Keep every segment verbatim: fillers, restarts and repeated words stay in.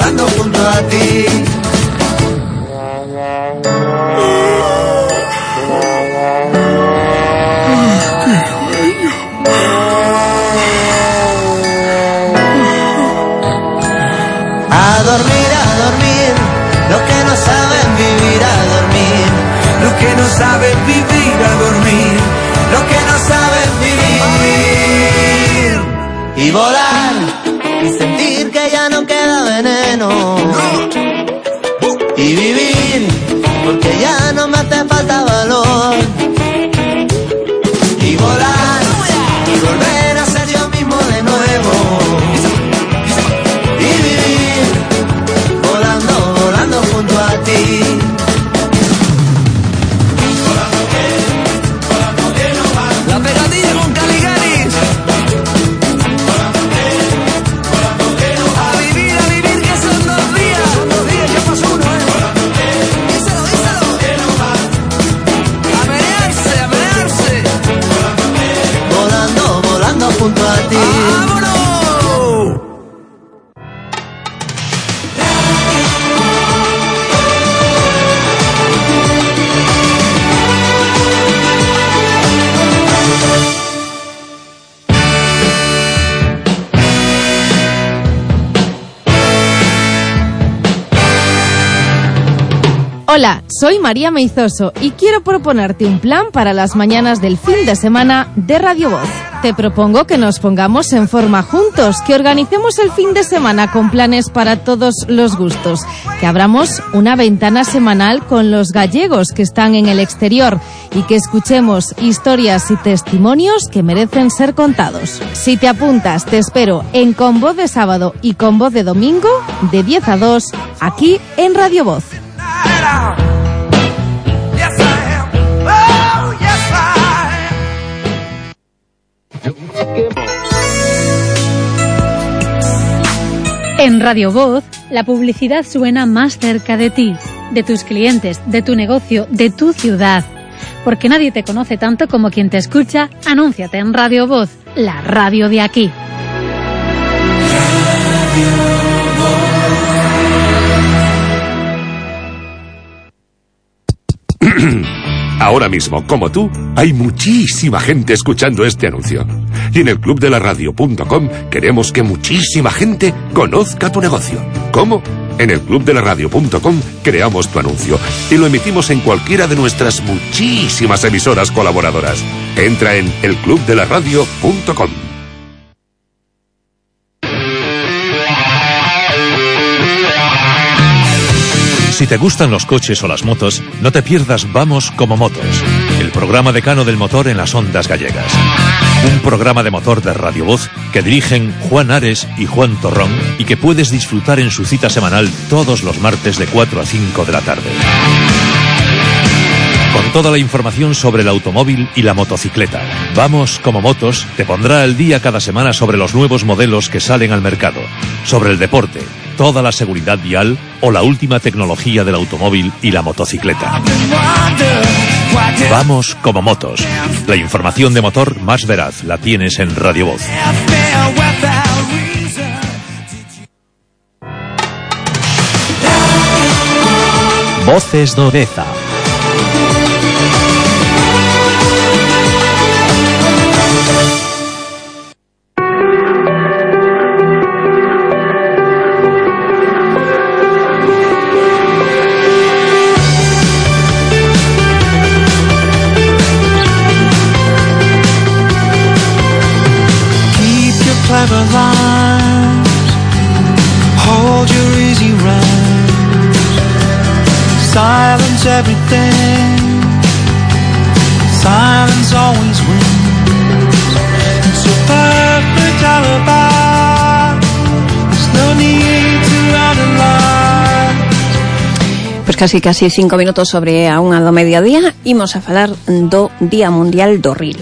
volando junto a ti. A dormir, a dormir, los que no saben vivir a dormir, los que no saben vivir a dormir, los que no saben vivir. Y volar, y sentir que ya no queda veneno. Y vivir, porque ya no me hace falta valor. Y volar, y volver a ser yo mismo de nuevo. Junto a ti. La pegadilla con Caligaris. A vivir, a vivir, que son dos días. Son dos días, ya pasó uno, ¿eh? Díselo, díselo. A menearse, a menearse. Volando, volando junto a ti. ¡Vámonos! Hola, soy María Meizoso y quiero proponerte un plan para las mañanas del fin de semana de Radio Voz. Te propongo que nos pongamos en forma juntos, que organicemos el fin de semana con planes para todos los gustos, que abramos una ventana semanal con los gallegos que están en el exterior y que escuchemos historias y testimonios que merecen ser contados. Si te apuntas, te espero en Con Voz de Sábado y Con Voz de Domingo, de diez a dos, aquí en Radio Voz. En Radio Voz, la publicidad suena más cerca de ti, de tus clientes, de tu negocio, de tu ciudad. Porque nadie te conoce tanto como quien te escucha, anúnciate en Radio Voz, la radio de aquí. Ahora mismo, como tú, hay muchísima gente escuchando este anuncio. Y en el club de la radio punto com queremos que muchísima gente conozca tu negocio. ¿Cómo? En el club de la radio punto com creamos tu anuncio y lo emitimos en cualquiera de nuestras muchísimas emisoras colaboradoras. Entra en el club de la radio punto com. Si te gustan los coches o las motos, no te pierdas Vamos como Motos, el programa decano del motor en las ondas gallegas. Un programa de motor de Radio Voz que dirigen Juan Ares y Juan Torrón y que puedes disfrutar en su cita semanal todos los martes de cuatro a cinco de la tarde. Con toda la información sobre el automóvil y la motocicleta. Vamos como Motos te pondrá al día cada semana sobre los nuevos modelos que salen al mercado, sobre el deporte, toda la seguridad vial o la última tecnología del automóvil y la motocicleta. Vamos como Motos. La información de motor más veraz la tienes en Radio Voz. Voces do Deza. Clever lines, hold your easy rhymes, silence everything, silence always wins. It's a perfect alibi, there's no need to analyze. Pues casi casi cinco minutos sobre a unha do mediodía, imos a falar do Día Mundial do Ril.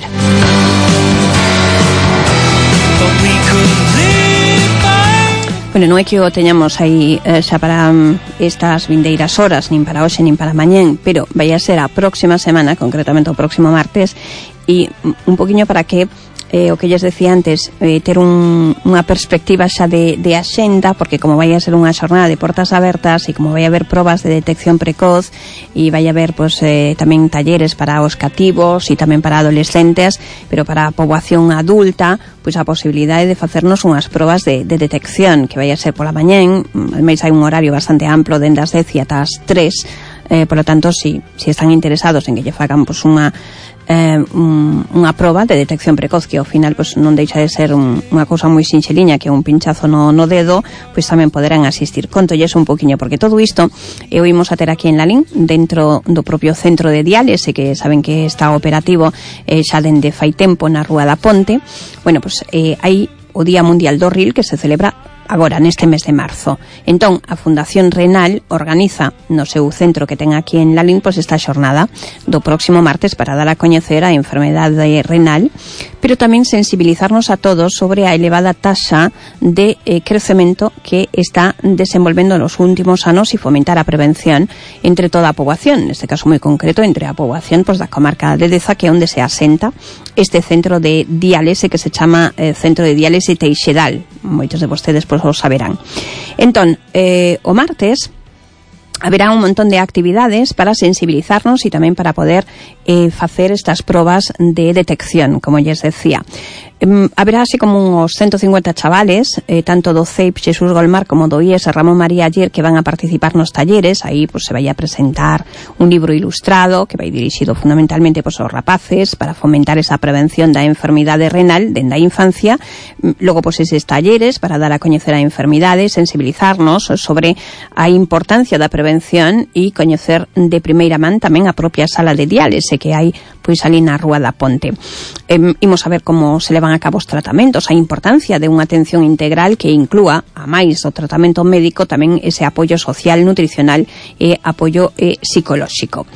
Bueno, non é que o teñamos aí eh, xa para um, estas vindeiras horas, nin para hoxe, nin para mañén, pero vai a ser a próxima semana, concretamente o próximo martes, e un poquinho para que eh, o que lles decía antes, eh, ter un, unha perspectiva xa de, de axenda, porque como vai a ser unha xornada de portas abertas e como vai a haber probas de detección precoz e vai a haber pues, eh, tamén talleres para os cativos e tamén para adolescentes, pero para a poboación adulta, pois a posibilidade de facernos unhas probas de, de detección, que vai a ser pola mañén, ademais hai un horario bastante amplo dende as dez e ata as tres, eh, por lo tanto, si, si están interesados en que lle fagan pues, unha Eh, un, unha proba de detección precoz que ao final pues, non deixa de ser un, unha cousa moi sinxeliña, que é un pinchazo no, no dedo, pois tamén poderán asistir. Contolles un poquinho, porque todo isto eu imos a ter aquí en Lalín, dentro do propio centro de diálise, que saben que está operativo eh, xa dende fai tempo na Rúa da Ponte. Bueno, pues eh, hai o Día Mundial do Ril, que se celebra agora neste mes de marzo. Entón, a Fundación Renal organiza no seu centro que ten aquí en Lalín pois esta xornada do próximo martes para dar a coñecer a enfermedade renal, pero tamén sensibilizarnos a todos sobre a elevada taxa de eh, crecemento que está desenvolvendo nos últimos anos e fomentar a prevención entre toda a poboación, neste caso moi concreto entre a poboación pois, da comarca de Deza, que é onde se asenta este centro de diálise que se chama eh, Centro de Diálise Teixedal. Moitos de vostedes pois, o saberán. Entón, eh, o martes haberá un montón de actividades para sensibilizarnos e tamén para poder eh, facer estas probas de detección, como lles decía. Eh, haberá así como uns ciento cincuenta chavales, eh, tanto do C E I P Xesús Golmar como do I E S Ramón María Ayer, que van a participar nos talleres. Aí pues, se vai a presentar un libro ilustrado que vai dirixido fundamentalmente pues, aos rapaces para fomentar esa prevención da enfermidade renal dende a infancia. Logo, pues, eses talleres para dar a coñecer a enfermidade, sensibilizarnos sobre a importancia da prevención e coñecer de primeira man tamén a propia sala de diálise que hai pois ali na Rúa da Ponte. Eh, imos a ver como se levan a cabo os tratamentos, a importancia de unha atención integral que inclúa, a máis do tratamento médico, tamén ese apoio social, nutricional e apoio eh, psicolóxico.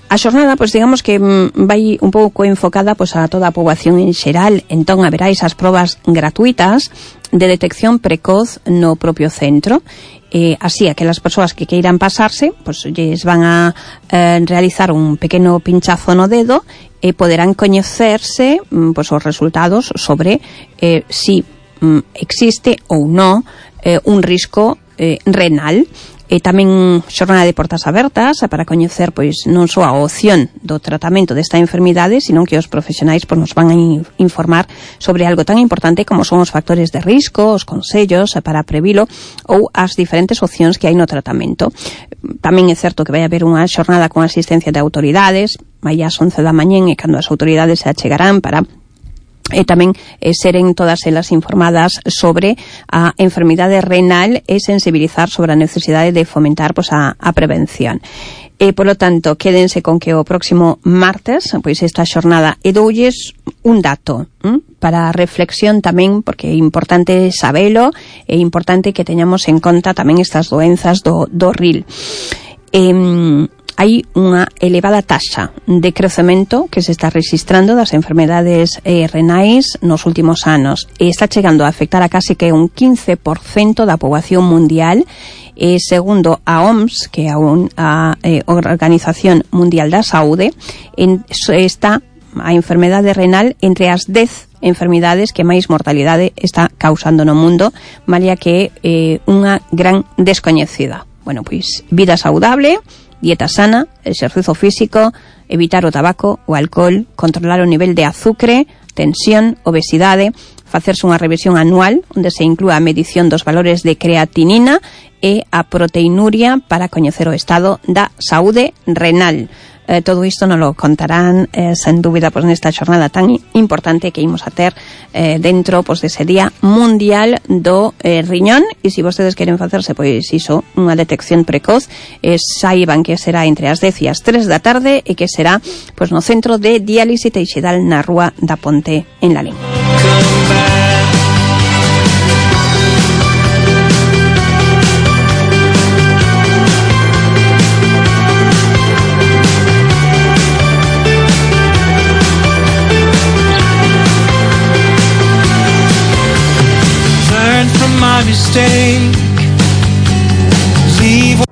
A xornada, pois digamos que mm, vai un pouco enfocada pois, a toda a poboación en xeral. Entón haberá esas probas gratuitas de detección precoz no propio centro. Eh, así, aquelas persoas que queiran pasarse, pois lles van a eh, realizar un pequeno pinchazo no dedo e poderán coñecerse mm, pois, os resultados sobre eh, si mm, existe ou non eh, un risco eh, renal. E tamén xornada de portas abertas para coñecer pois non só a opción do tratamento desta enfermidade, sino que os profesionais pois, nos van a informar sobre algo tan importante como son os factores de risco, os consellos para previlo ou as diferentes opcións que hai no tratamento. Tamén é certo que vai haber unha xornada con asistencia de autoridades, vai ás once da mañén e cando as autoridades se achegarán para e tamén eh, seren todas elas informadas sobre a enfermidade renal e sensibilizar sobre a necesidade de fomentar pois, a, a prevención. E, polo tanto, quédense con que o próximo martes, pois esta xornada, e doulles un dato hm? para a reflexión tamén, porque é importante sabelo, é importante que teñamos en conta tamén estas doenzas do, do ril. Eh, hai unha elevada taxa de crecemento que se está registrando das enfermedades eh, renais nos últimos anos e está chegando a afectar a case que un quince por cento da poboación mundial e segundo a O M S, que é a, a eh, Organización Mundial da Saúde, en, está a enfermedade renal entre as dez enfermidades que máis mortalidade está causando no mundo, malia que é eh, unha gran descoñecida. Bueno, pois vida saudable, dieta sana, exercicio físico, evitar o tabaco, o alcohol, controlar o nivel de azúcar, tensión, obesidade, facerse unha revisión anual onde se inclúa a medición dos valores de creatinina e a proteinuria para coñecer o estado da saúde renal. Eh, todo isto nos lo contarán eh, sen dúbida pois, nesta xornada tan importante que imos a ter eh, dentro pois, dese día mundial do eh, riñón. E se vostedes queren facerse pois iso, unha detección precoz, eh, saiban que será entre as dez e as tres da tarde e que será pois, no centro de diálise Teixedal na Rúa da Ponte en Lalín. My mistake. Leave.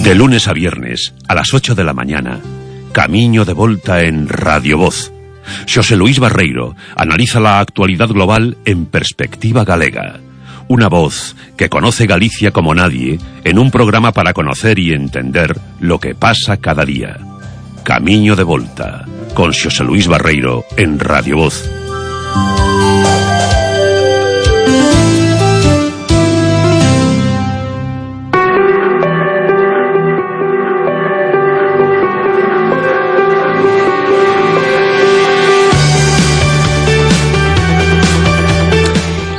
De lunes a viernes, a las ocho de la mañana, Camiño de Volta en Radio Voz. Xosé Luís Barreiro analiza la actualidad global en perspectiva galega. Una voz que conoce Galicia como nadie en un programa para conocer y entender lo que pasa cada día. Camiño de Volta, con Xosé Luís Barreiro en Radio Voz.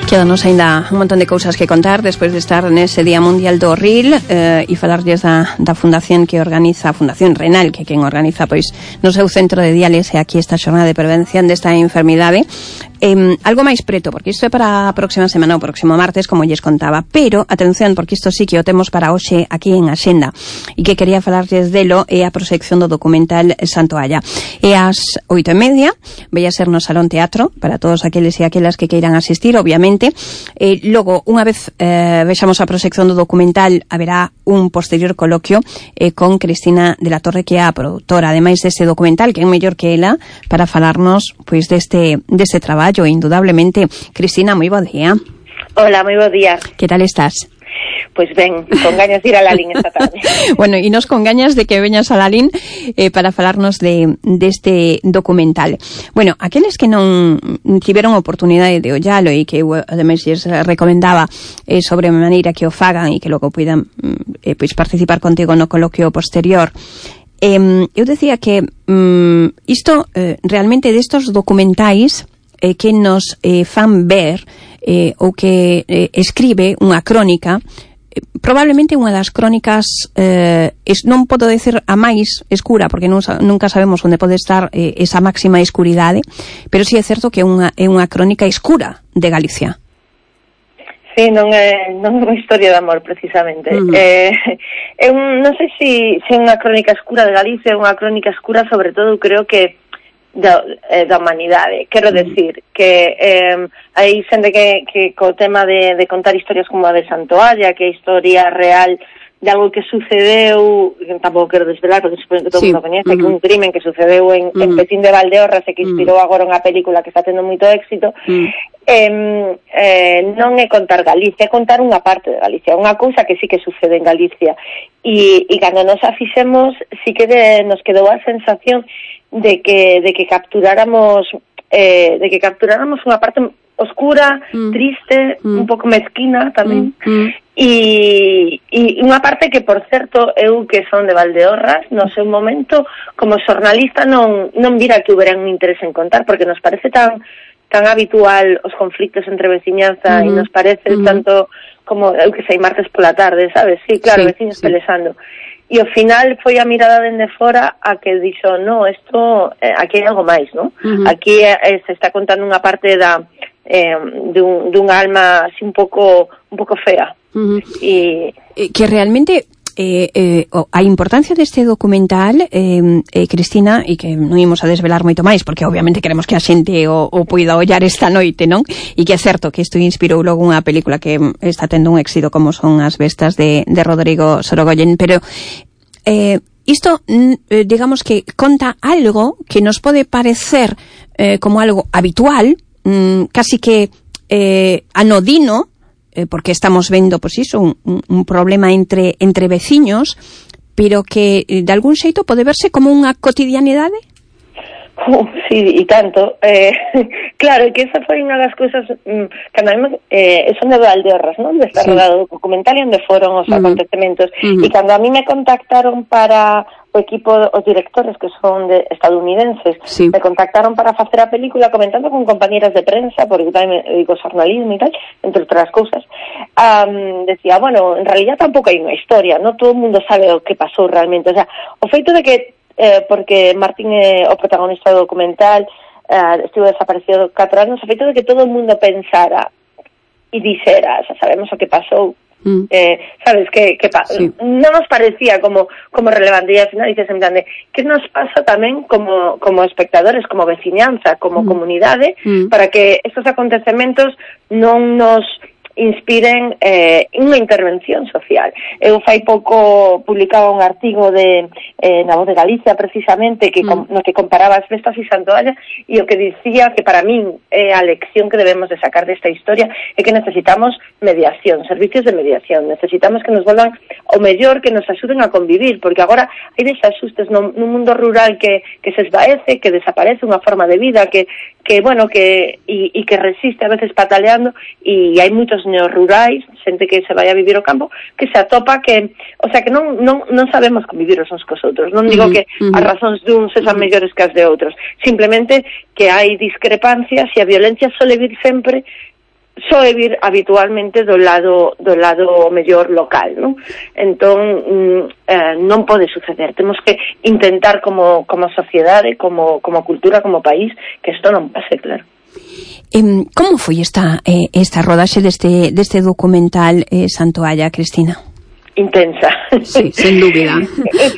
Quedanos ainda un montón de cousas que contar despois de estar nese Día Mundial do Ril eh, e falarlles da, da fundación que organiza, a Fundación Renal, que quen organiza pois no seu centro de diálise aquí esta xornada de prevención desta enfermidade. Eh, algo máis preto, porque isto é para a próxima semana, o próximo martes, como lles contaba, pero atención, porque isto sí que o temos para hoxe aquí en Axenda, e que quería falarlles delo é a proxección do documental Santoalla. É ás oito e media, vai a ser no Salón Teatro para todos aqueles e aquelas que queiran asistir, obviamente. Eh, logo, unha vez eh, vexamos a proxección do documental, haberá un posterior coloquio eh, con Cristina de la Torre, que é a produtora, ademais deste documental, que é mellor que ela para falarnos pois deste deste traballo. Indudablemente. Cristina, moi bo día. Hola, moi bo día. Que tal estás? Pois ben, con gañas de ir a Lalín esta tarde. Bueno, e nos con gañas de que veñas a Lalín eh, para falarnos de deste documental. Bueno, aqueles que non tiveron oportunidade de ollalo e que eu ademais lles recomendaba eh, sobre a maneira que o fagan e que logo puidan eh, pois participar contigo no coloquio posterior. Eh, eu decía que um, isto eh, realmente destos documentais eh, que nos eh, fan ver eh, ou que eh, escribe unha crónica, eh, probablemente unha das crónicas eh, es, non podo decir a máis escura, porque non, nunca sabemos onde pode estar eh, esa máxima escuridade, pero si sí é certo que é unha, é unha crónica escura de Galicia. Sí, non é, non é unha historia de amor, precisamente. Uh-huh. Eh, é un, non sei se si, si é unha crónica escura de Galicia, é unha crónica escura, sobre todo, creo que da, eh, da humanidade. Quero decir que eh, hai xente que, que co tema de, de contar historias como a de Santoalla, que é historia real de algo que sucedeu, que tampouco quero desvelar, porque supoño que todo sí. mundo coñece, uh-huh. que un crimen que sucedeu en, uh-huh. en Petín de Valdeorras e que inspirou uh-huh. agora unha película que está tendo moito éxito, uh-huh. eh, eh, non é contar Galicia, é contar unha parte de Galicia, unha cousa que sí que sucede en Galicia. E, e cando nos a fixemos, sí que de, nos quedou a sensación de que de que capturáramos eh, de que capturáramos unha parte oscura, mm. triste, mm. un pouco mezquina tamén, mm. e, e unha parte que, por certo, eu que son de Valdeorras, no seu momento, como xornalista non non vira que houbera un interés en contar, porque nos parece tan tan habitual os conflictos entre veciñanza, mm-hmm. e nos parece mm-hmm. tanto como, eu que sei, martes pola tarde, sabes? Sí, claro, sí, veciños sí. pelexando. E ao final foi a mirada dende fora a que dixo, no, isto, eh, aquí hai algo máis, non? Uh-huh. Aquí eh, se está contando unha parte da eh, dun, dun alma así un pouco un pouco fea. Uh-huh. E que realmente eh, eh, a importancia deste documental, eh, eh, Cristina, e que non imos a desvelar moito máis, porque obviamente queremos que a xente o, o poida ollar esta noite, non? E que é certo que isto inspirou logo unha película que está tendo un éxito como son As Bestas de, de Rodrigo Sorogoyen, pero eh, isto, eh, digamos que conta algo que nos pode parecer eh, como algo habitual, mm, casi que eh, anodino, eh, porque estamos vendo, pois iso, un, un problema entre entre veciños, pero que eh, de algún xeito pode verse como unha cotidianidade. Uh, sí, e tanto. Eh, claro, que esa foi unha das cousas mm, que a mí, eh, son de Valdeorras, non? De estar sí. rodado o documental e onde foron os uh-huh. acontecementos. Uh-huh. E cando a mí me contactaron para o equipo, os directores que son de estadounidenses, sí. me contactaron para facer a película comentando con compañeras de prensa, porque tamén me digo xornalismo e tal, entre outras cousas. Um, decía, bueno, en realidad tampouco hai unha historia, non todo o mundo sabe o que pasou realmente. O sea, o feito de que Eh, porque Martín é o protagonista do documental, eh, estivo desaparecido catro anos, o feito de que todo o mundo pensara e dixera, xa sabemos o que pasou, mm. eh, sabes, que, que pa- sí. non nos parecía como como relevante, e ao final dices en plan de, que nos pasa tamén como, como espectadores, como veciñanza, como mm. comunidade, mm. para que estos acontecementos non nos inspiren eh, unha intervención social. Eu fai pouco publicaba un artigo de eh, na Voz de Galicia, precisamente, que com, no que comparaba as festas e Santoalla, e o que dicía que para min é a lección que debemos de sacar desta historia é que necesitamos mediación, servicios de mediación, necesitamos que nos volvan o mellor, que nos axuden a convivir, porque agora hai desaxustes no, no mundo rural que, que se esvaece, que desaparece unha forma de vida, que, que bueno, que e, e que resiste a veces pataleando, e hai moitos neorrurais, xente que se vai a vivir ao campo, que se atopa que, o sea, que non, non, non sabemos convivir os uns cos outros. Non digo uh-huh, que uh-huh. as razóns de uns sexan mellores que as de outros, simplemente que hai discrepancias e a violencia sole vir sempre soe vir habitualmente do lado do lado mellor local, non? Entón, mm, eh, non pode suceder. Temos que intentar como como sociedade, como como cultura, como país, que isto non pase, claro. Eh, como foi esta eh, esta rodaxe deste deste documental eh, Santoalla, Cristina? Intensa. Sí, sen dúbida.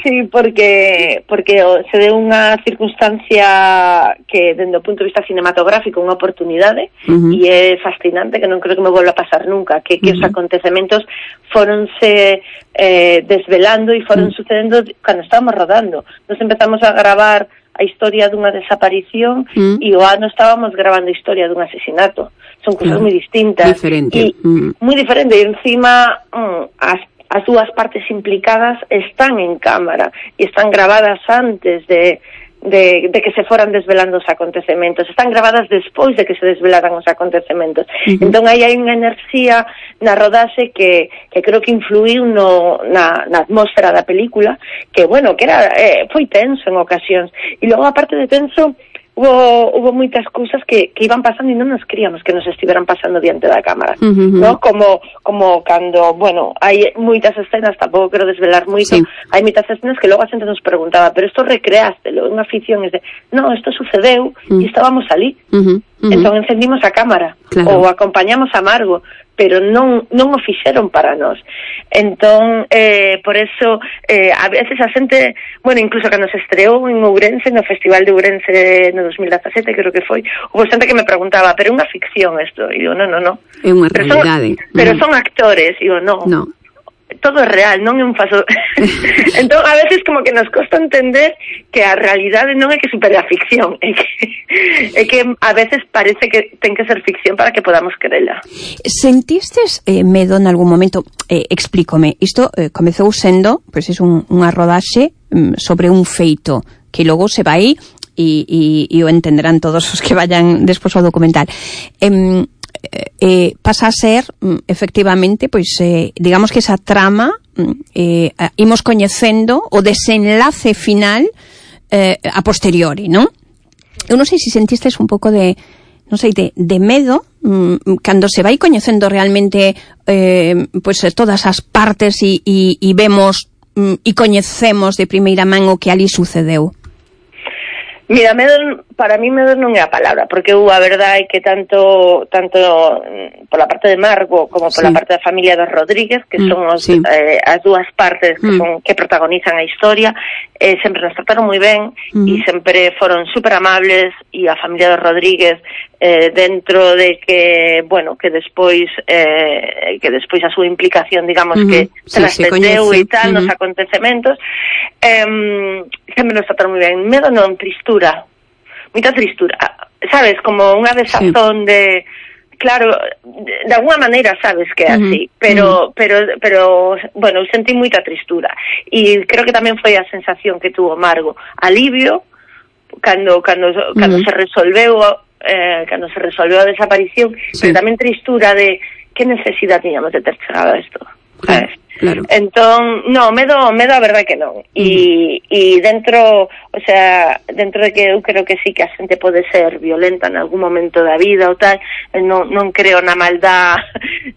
Sí, porque porque se deu unha circunstancia que, dende o punto de vista cinematográfico, unha oportunidade, uh-huh. e é fascinante, que non creo que me volva a pasar nunca, que, que uh-huh. os acontecementos foronse eh, desvelando e foron uh-huh. sucedendo cando estábamos rodando. Nos empezamos a gravar a historia dunha desaparición uh-huh. e o ano estábamos gravando a historia dun asesinato. Son cousas uh-huh. moi distintas. Diferente. E, uh-huh. moi diferente. E encima, um, as as dúas partes implicadas están en cámara e están grabadas antes de, de, de que se foran desvelando os acontecementos, están grabadas despois de que se desvelaran os acontecementos. Uh-huh. Entón aí hai unha enerxía na rodaxe que, que creo que influiu no, na, na atmósfera da película, que, bueno, que era eh, foi tenso en ocasións. E logo, aparte de tenso, Hubo, hubo moitas cousas que, que iban pasando e non nos queríamos que nos estiveran pasando diante da cámara, uh-huh. ¿no? Como, como cando, bueno, hai moitas escenas, tampouco quero desvelar moito, sí. hai moitas escenas que logo a xente nos preguntaba, pero isto recreástelo, unha ficción, es de, no, isto sucedeu uh-huh. e estábamos ali. Uh-huh. Uh-huh. Entón encendimos a cámara, claro. ou acompañamos a Margo, pero non non o fixeron para nós. Entón, eh, por eso, eh, a veces a xente, bueno, incluso cando se estreou en Ourense, no Festival de Ourense no dos mil dezasete, creo que foi, houve xente que me preguntaba, pero é unha ficción isto? E digo, non, non, non. É unha realidade. Son, pero son actores, e digo, non. No. Todo é real, non é un faso. Entón, a veces como que nos costa entender que a realidade non é que supere a ficción, é que, é que a veces parece que ten que ser ficción para que podamos querela. Sentistes eh, medo en algún momento? Eh, explícome, isto eh, comezou sendo, pois, pues, é un, unha rodaxe mm, sobre un feito que logo se vai e, e, e o entenderán todos os que vayan despois ao documental. Eh, Eh, pasa a ser efectivamente, pois eh, digamos que esa trama eh, imos coñecendo o desenlace final eh, a posteriori, non? Eu non sei se sentistes un pouco de, non sei, de, de medo mm, cando se vai coñecendo realmente eh, pois todas as partes e, e, e vemos mm, e coñecemos de primeira man o que ali sucedeu. Mira, medo, para mí medo non é a palabra, porque eu a verdade é que tanto tanto pola parte de Margo como pola sí. parte da familia dos Rodríguez, que mm, son os, sí. eh, as dúas partes que, mm. son, que protagonizan a historia, eh, sempre nos trataron moi ben mm. e sempre foron super amables, e a familia dos Rodríguez eh, dentro de que, bueno, que despois eh, que despois a súa implicación, digamos, mm-hmm. que sí, trascendeu e tal, mm-hmm. nos acontecementos, eh, sempre nos trataron moi ben. Medo non, tristura, moita tristura, sabes, como unha desazón sí. de, claro, de, de alguna maneira sabes que é así, uh-huh. pero, uh-huh. pero, pero, bueno, sentí moita tristura, e creo que tamén foi a sensación que tuvo Margo, alivio, cando, cando, cando uh-huh. se resolveu, eh, cando se resolveu a desaparición, sí. pero tamén tristura de que necesidade tiñamos de ter chegado a isto, sabes? Claro. Entón, no, medo, medo a verdade que non. E, e dentro, o sea, dentro de que eu creo que sí que a xente pode ser violenta en algún momento da vida ou tal, non, non creo na maldad,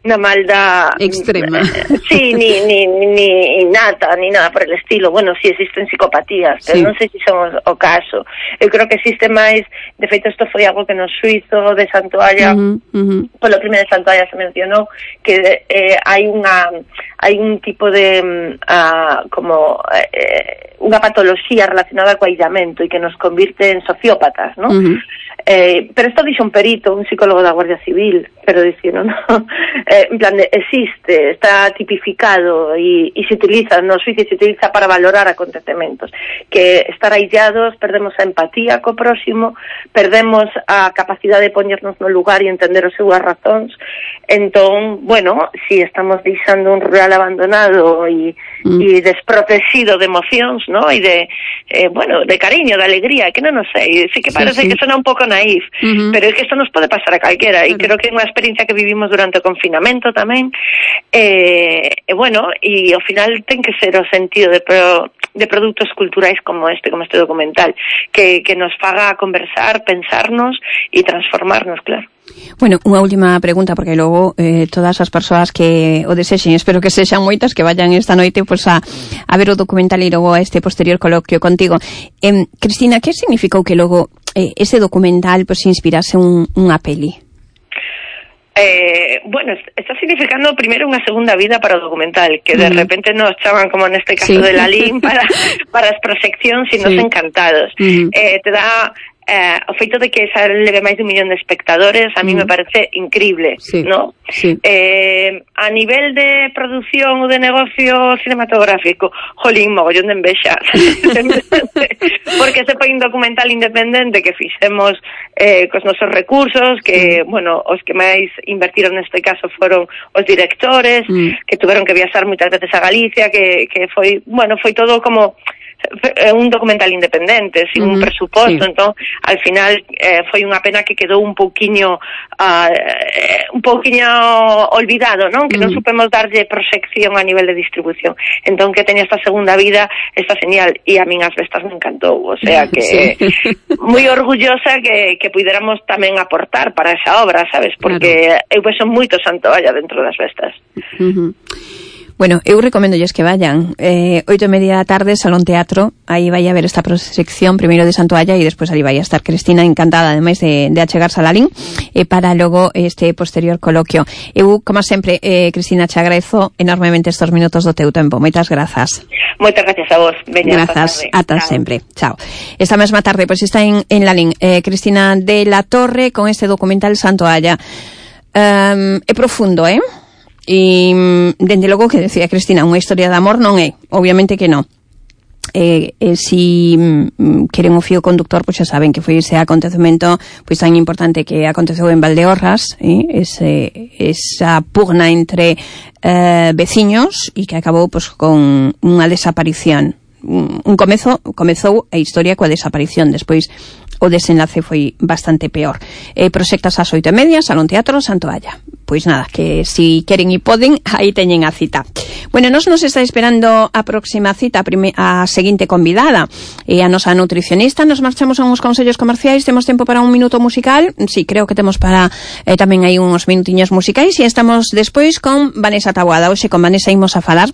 na maldad extrema. Sí, ni, ni, ni innata, ni nada por el estilo. Bueno, sí existen psicopatías, pero sí. non sei se son o caso. Eu creo que existe máis, de feito isto foi algo que no suizo de Santoalla, uh-huh, uh-huh. polo primeiro de Santoalla se mencionou que eh, hai unha hai un tipo de uh, como eh, unha patoloxía relacionada co aillamento e que nos convirte en sociópatas, ¿no? Uh-huh. Eh, pero isto dixo un perito, un psicólogo da Guardia Civil, quero dicir, non? Eh, en plan de, existe, está tipificado e, e se utiliza, nos oficios se utiliza para valorar acontecementos, que estar aillados, perdemos a empatía co próximo, perdemos a capacidade de poñernos no lugar e entender as súas razóns. Entón, bueno, si estamos deixando un rural abandonado e, mm. e desprotegido de emocións, ¿no? E de, eh, bueno, de cariño, de alegría, que non nos sei, sí que parece sí, sí. que sona un pouco naif, uh-huh. pero é que isto nos pode pasar a calquera, e creo que é unha experiencia que vivimos durante o confinamento tamén, e, e bueno, e ao final ten que ser o sentido de, pro, de produtos culturais como este, como este documental, que, que nos faga conversar, pensarnos e transformarnos, claro. Bueno, unha última pregunta, porque logo eh, todas as persoas que o desexen, espero que sexan moitas, que vayan esta noite pues, a, a ver o documental e logo a este posterior coloquio contigo. Eh, Cristina, que significou que logo eh, ese documental pues, inspirase un, unha peli? Eh, bueno, está significando primero unha segunda vida para o documental, que de mm. repente nos chaman, como neste caso sí. de Lalín, para, para as proxeccións e nos sí. encantados. Mm. Eh, te dá eh, o feito de que esa leve máis de un millón de espectadores a mí mm. me parece increíble, sí. ¿no? Sí. Eh, a nivel de produción ou de negocio cinematográfico, jolín, mogollón de envexa porque se foi un documental independente que fixemos eh, cos nosos recursos, que, mm. bueno, os que máis invertiron neste caso foron os directores, mm. que tuveron que viaxar moitas veces a Galicia, que, que foi, bueno, foi todo como un documental independente, sin uh-huh. un presuposto, sí. entón, al final eh, foi unha pena que quedou un pouquiño uh, eh, un pouquiño olvidado, non? Que uh-huh. non supemos darlle proxección a nivel de distribución. Entón, que teña esta segunda vida, está genial, e a min as bestas me encantou, o sea que sí. moi orgullosa que, que puidéramos tamén aportar para esa obra, sabes? Porque claro. eu vexo moito Santoalla dentro das bestas. Uh-huh. Bueno, eu recomendolles que vayan. Eh, oito e media da tarde, Salón Teatro, aí vai a ver esta proxección primeiro de Santoalla e despois ali vai a estar Cristina, encantada, ademais de, de achegarse a Lalín, eh, para logo este posterior coloquio. Eu, como sempre, eh, Cristina, che agradezo enormemente estos minutos do teu tempo. Moitas grazas. Moitas gracias a vos. Veña, grazas, ata sempre. Chao. Esta mesma tarde, pois pues, está en, en Lalín eh, Cristina de la Torre con este documental Santoalla. Um, é profundo, eh? E, dende logo, que decía Cristina, unha historia de amor non é, obviamente que non. Eh, eh, si mm, queren o fío conductor, pois xa saben que foi ese acontecemento pois tan importante que aconteceu en Valdeorras, eh, ese, esa pugna entre eh, veciños e que acabou pois, con unha desaparición. Un, un comezo, comezou a historia coa desaparición, despois o desenlace foi bastante peor. Eh, proxectas ás oito e media, Salón Teatro, Santoalla. Pois nada, que si queren e poden, aí teñen a cita. Bueno, nos nos está esperando a próxima cita, a, prime, a seguinte convidada, e a nosa nutricionista. Nos marchamos a uns consellos comerciais, temos tempo para un minuto musical, sí, creo que temos para eh, tamén hai uns minutiños musicais, e estamos despois con Vanessa Taboada. Hoxe con Vanessa imos a falar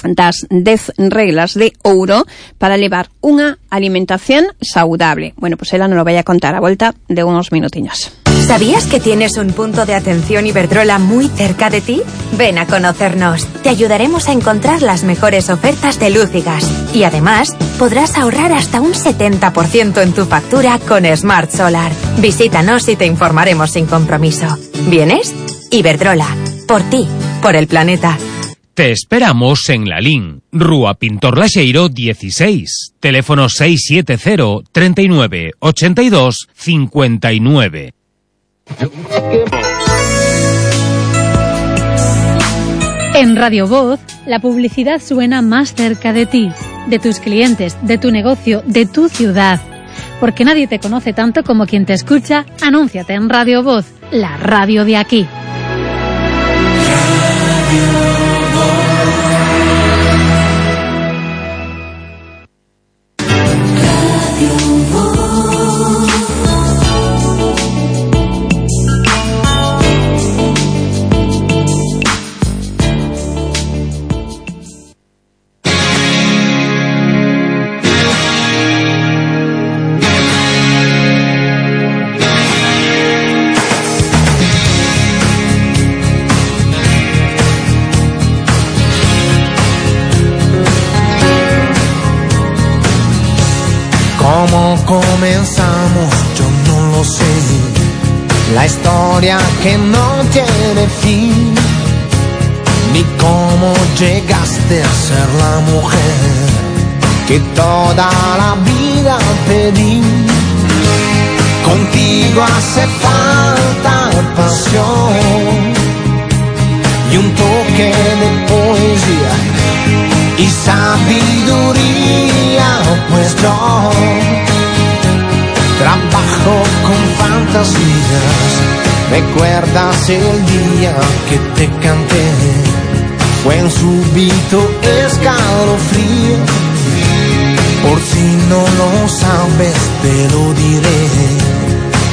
das dez reglas de ouro para levar unha alimentación saudable. Bueno, pues ela nos lo vai a contar a volta de unos minutiños. ¿Sabías que tienes un punto de atención Iberdrola muy cerca de ti? Ven a conocernos. Te ayudaremos a encontrar las mejores ofertas de luz y gas. Y además, podrás ahorrar hasta un setenta por ciento en tu factura con Smart Solar. Visítanos y te informaremos sin compromiso. ¿Vienes? Iberdrola. Por ti. Por el planeta. Te esperamos en Lalín, Rúa Pintor Laxeiro dieciséis, teléfono seis siete cero, treinta y nueve, ochenta y dos, cincuenta y nueve. En Radio Voz, la publicidad suena más cerca de ti, de tus clientes, de tu negocio, de tu ciudad. Porque nadie te conoce tanto como quien te escucha, anúnciate en Radio Voz, la radio de aquí. ¿Cómo comenzamos? Yo no lo sé. La historia que no tiene fin, ni cómo llegaste a ser la mujer que toda la vida pedí. Contigo hace falta pasión y un toque de poesía y sabiduría, pues yo trabajo con fantasías. ¿Recuerdas el día que te canté? Fue un súbito escalofrío. Por si no lo sabes te lo diré,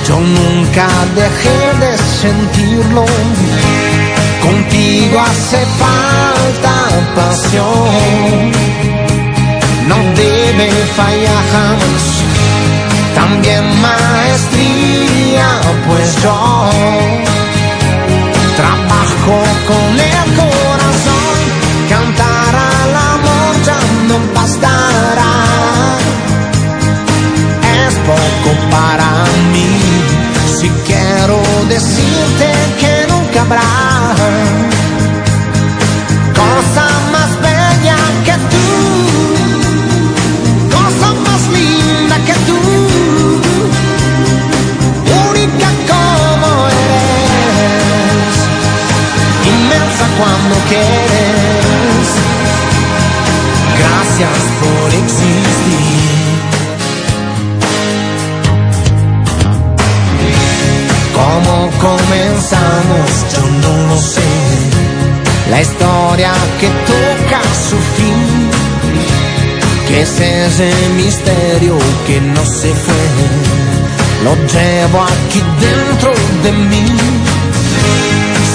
yo nunca dejé de sentirlo. Contigo hace falta pasión, no debe fallar jamás. También maestría, pues yo trabajo con el corazón. Cantar al amor ya no bastará, es poco para mí. Si quiero decirte que nunca habrá cosa más bella que tú, cosa más linda que tú, única como eres, inmensa cuando quieres. Gracias por existir. ¿Cómo comenzamos? Yo no lo sé. La historia que toca su fin, que es ese misterio que no se fue, lo llevo aquí dentro de mí.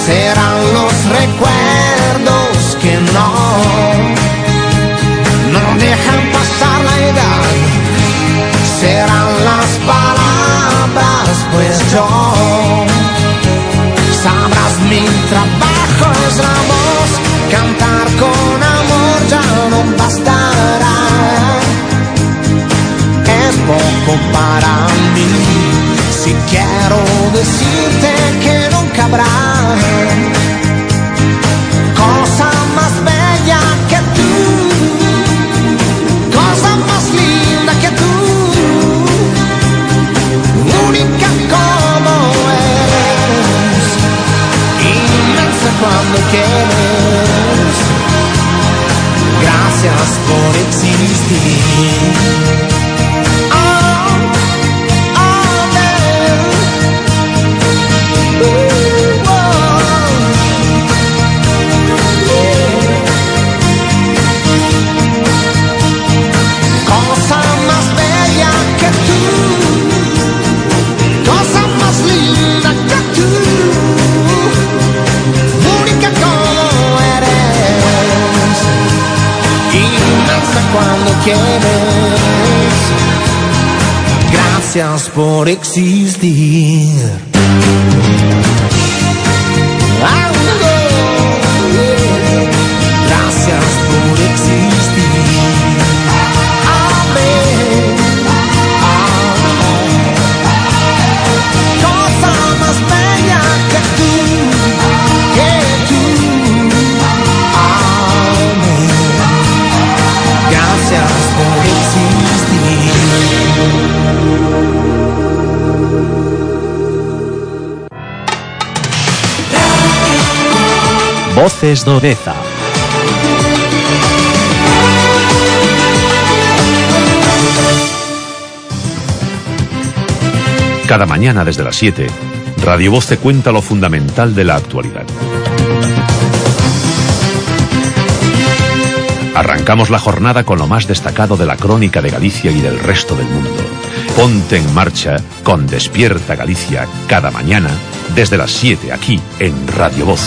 Serán los recuerdos que no, no dejan pasar la edad. Serán las palabras, pues yo, sabrás mi trabajo es la voz. Cantar con amor ya no bastará, es poco para mí. Si quiero decirte que nunca habrá cosa más bella que tú, cosa más linda que tú, única como eres, inmensa cuando quieres. Gracias por existir. Oh, oh, man. Ooh, oh. Yeah. Cosa más bella que tú, cosa más linda que tú, única como eres, inmensa cuando quieres. Gracias por existir. Ah, oh, yeah. Gracias por existir. Amén. Cosa más bella que tú, que tú. Amén. Gracias por existir. Voces do Deza. Cada mañana desde las siete, Radio Voz te cuenta lo fundamental de la actualidad. Arrancamos la jornada con lo más destacado de la crónica de Galicia y del resto del mundo. Ponte en marcha con Despierta Galicia cada mañana desde las siete aquí en Radio Voz.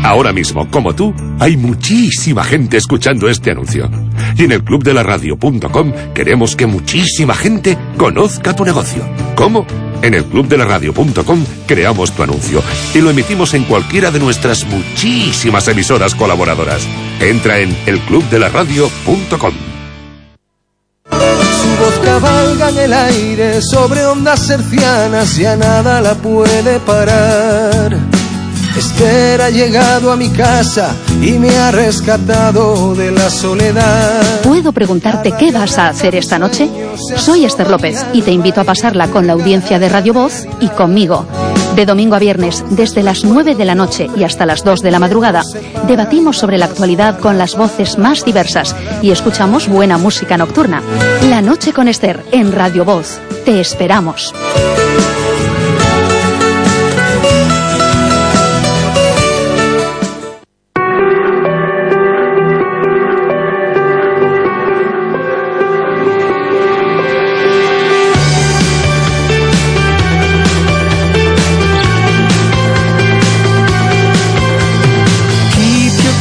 Ahora mismo, como tú, hay muchísima gente escuchando este anuncio. Y en el club de la radio punto com queremos que muchísima gente conozca tu negocio. ¿Cómo? En el club de la radio punto com creamos tu anuncio y lo emitimos en cualquiera de nuestras muchísimas emisoras colaboradoras. Entra en el club de la radio punto com. Su voz cabalga en el aire sobre ondas hercianas y a nada la puede parar. Esther ha llegado a mi casa y me ha rescatado de la soledad. ¿Puedo preguntarte qué vas a hacer esta noche? Soy Esther López y te invito a pasarla con la audiencia de Radio Voz y conmigo. De domingo a viernes, desde las nueve de la noche y hasta las dos de la madrugada, debatimos sobre la actualidad con las voces más diversas y escuchamos buena música nocturna. La noche con Esther en Radio Voz. Te esperamos.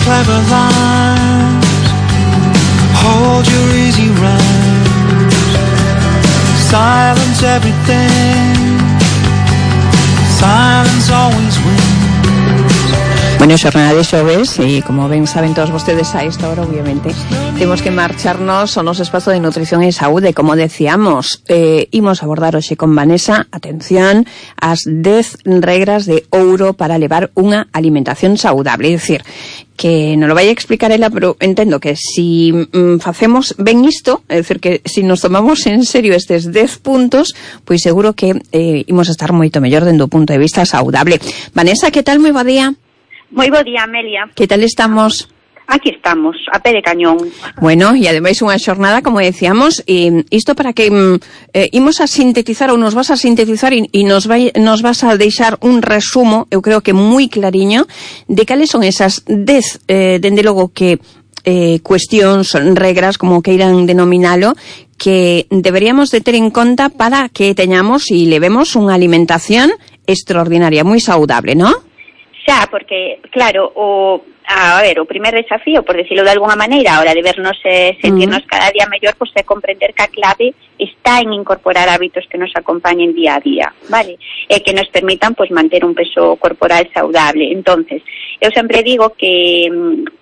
Clever lines, hold your easy rhymes, silence everything, silence always wins. Bueno, xornada de xoves e como ben saben todos vostedes a esta hora, obviamente, temos que marcharnos ao noso espazo de nutrición e saúde, como decíamos. Eh, imos abordar hoxe con Vanessa, atención, as dez regras de ouro para levar unha alimentación saudable. É dicir, que non lo vai a explicar ela, pero entendo que si mm, facemos ben isto, é dicir, que si nos tomamos en serio estes dez puntos, pois seguro que eh, imos a estar moito mellor dende o punto de vista saudable. Vanessa, que tal? Moi bo día. Moi bo día, Amelia. Que tal estamos? Aquí estamos, a pé de cañón. Bueno, e ademais unha xornada, como decíamos, e isto para que eh, imos a sintetizar ou nos vas a sintetizar e, e nos, vai, nos vas a deixar un resumo, eu creo que moi clariño, de cales son esas dez, eh, dende logo que eh, cuestións, regras, como queiran denominalo, que deberíamos de ter en conta para que teñamos e levemos unha alimentación extraordinaria, moi saudable, ¿no? Xa, porque, claro, o... A ver, o primer desafío, por decirlo de alguna maneira, a hora de vernos e eh, sentirnos uh-huh. cada día mellor, pues é comprender que a clave está en incorporar hábitos que nos acompañen día a día, vale? E que nos permitan, pues, manter un peso corporal saudable. Entonces, eu sempre digo que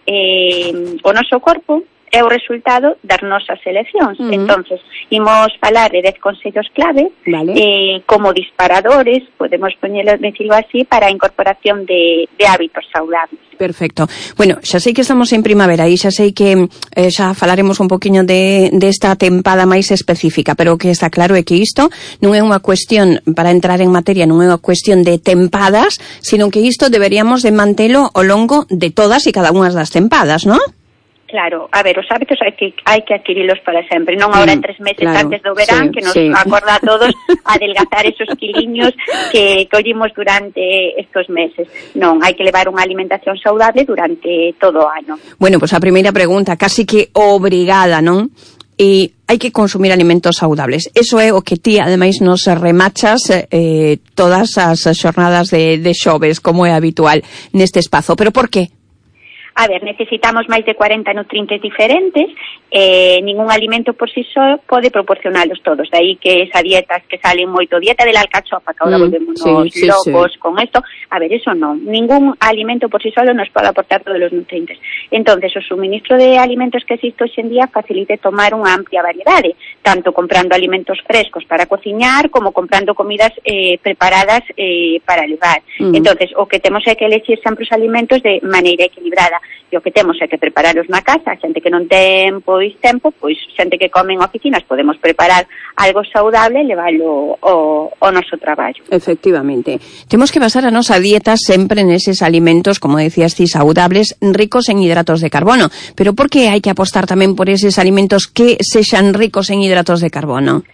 eh, o noso corpo é o resultado das nosas eleccións. Uh-huh. Entonces, imos falar de dez consellos clave, vale. eh, como disparadores, podemos poñelo, decirlo así, para a incorporación de, de hábitos saudables. Perfecto. Bueno, xa sei que estamos en primavera e xa sei que eh, xa falaremos un poquinho de, de esta tempada máis específica, pero o que está claro é que isto non é unha cuestión, para entrar en materia, non é unha cuestión de tempadas, sino que isto deberíamos de mantelo ao longo de todas e cada unha das tempadas, non? Claro, a ver, os hábitos hai que hai que adquirilos para sempre, non agora en tres meses claro, antes do verán, sí, que nos sí. acorda a todos a adelgazar esos quiliños que collimos durante estos meses. Non, hai que levar unha alimentación saudable durante todo o ano. Bueno, pois pues a primeira pregunta, casi que obrigada, non? E hai que consumir alimentos saudables. Eso é o que ti, ademais, nos remachas eh, todas as xornadas de, de xoves, como é habitual neste espazo. Pero por que? A ver, necesitamos máis de cuarenta nutrientes diferentes, eh, ningún alimento por si só pode proporcionalos todos, de aí que esa dietas que salen moito, dieta de la alcachofa, que ahora mm, volvemos sí, sí, locos sí. con esto, a ver, eso non, ningún alimento por si solo nos pode aportar todos los nutrientes. Entonces, o suministro de alimentos que existe hoxe en día facilite tomar unha amplia variedade, tanto comprando alimentos frescos para cociñar, como comprando comidas eh, preparadas eh, para levar. Mm. Entonces, o que temos é que elegir sempre os alimentos de maneira equilibrada. E o que temos é que prepararos na casa, xente que non ten pois tempo, pois xente que come en oficinas, podemos preparar algo saudable e leválo ao, ao noso traballo. Efectivamente. Temos que basar a nosa dieta sempre neses alimentos, como decías ti, saudables, ricos en hidratos de carbono. Pero por que hai que apostar tamén por eses alimentos que sexan ricos en hidratos de carbono?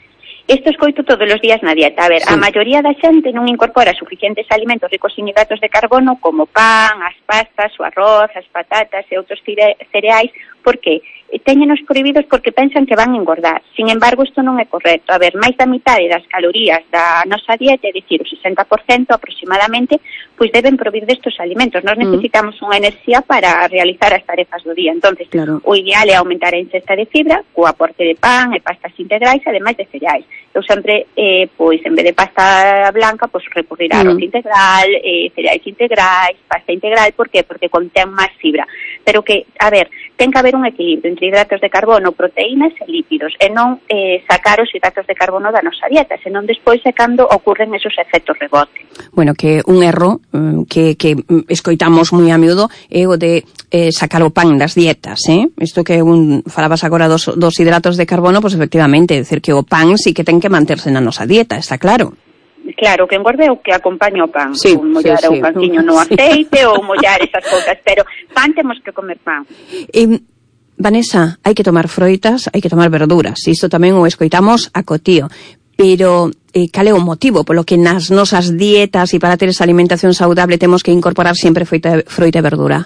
Isto escoito todos os días na dieta. A ver, sí. a maioría da xente non incorpora suficientes alimentos ricos en hidratos de carbono como pan, as pastas, o arroz, as patatas e outros cereais Por que? Téñenos prohibidos porque pensan que van a engordar. Sin embargo, isto non é correcto. A ver, máis da mitade das calorías da nosa dieta, é dicir, o sesenta por cento aproximadamente, pois deben provir destes alimentos. Nós necesitamos mm. unha enerxía para realizar as tarefas do día. Entonces, claro. o ideal é aumentar a ingesta de fibra co aporte de pan e pastas integrais, ademais de cereais. Eu sempre, eh, pois, en vez de pasta blanca, pois recurrir a arroz mm. integral, eh, cereais integrais, pasta integral. Por qué? Porque contén máis fibra. Pero que, a ver, ten que haber un equilibrio entre hidratos de carbono, proteínas e lípidos, e non eh, sacar os hidratos de carbono da nosa dieta, senón despois é cando ocurren esos efectos rebote. Bueno, que un erro que, que escoitamos moi a miúdo é o de eh, sacar o pan das dietas, eh? Isto que un, falabas agora dos, dos hidratos de carbono, pois pues efectivamente, é dicir que o pan sí que ten que manterse na nosa dieta, está claro. Claro, que engorde o que acompaña o pan, sí, ou mollar sí, sí. o panciño no aceite ou mollar esas cousas, pero pan temos que comer pan. Eh, Vanessa, hai que tomar froitas, hai que tomar verduras, isto tamén o escoitamos a cotío, pero eh, cal é o motivo polo que nas nosas dietas e para ter esa alimentación saudable temos que incorporar sempre froita, froita e verdura?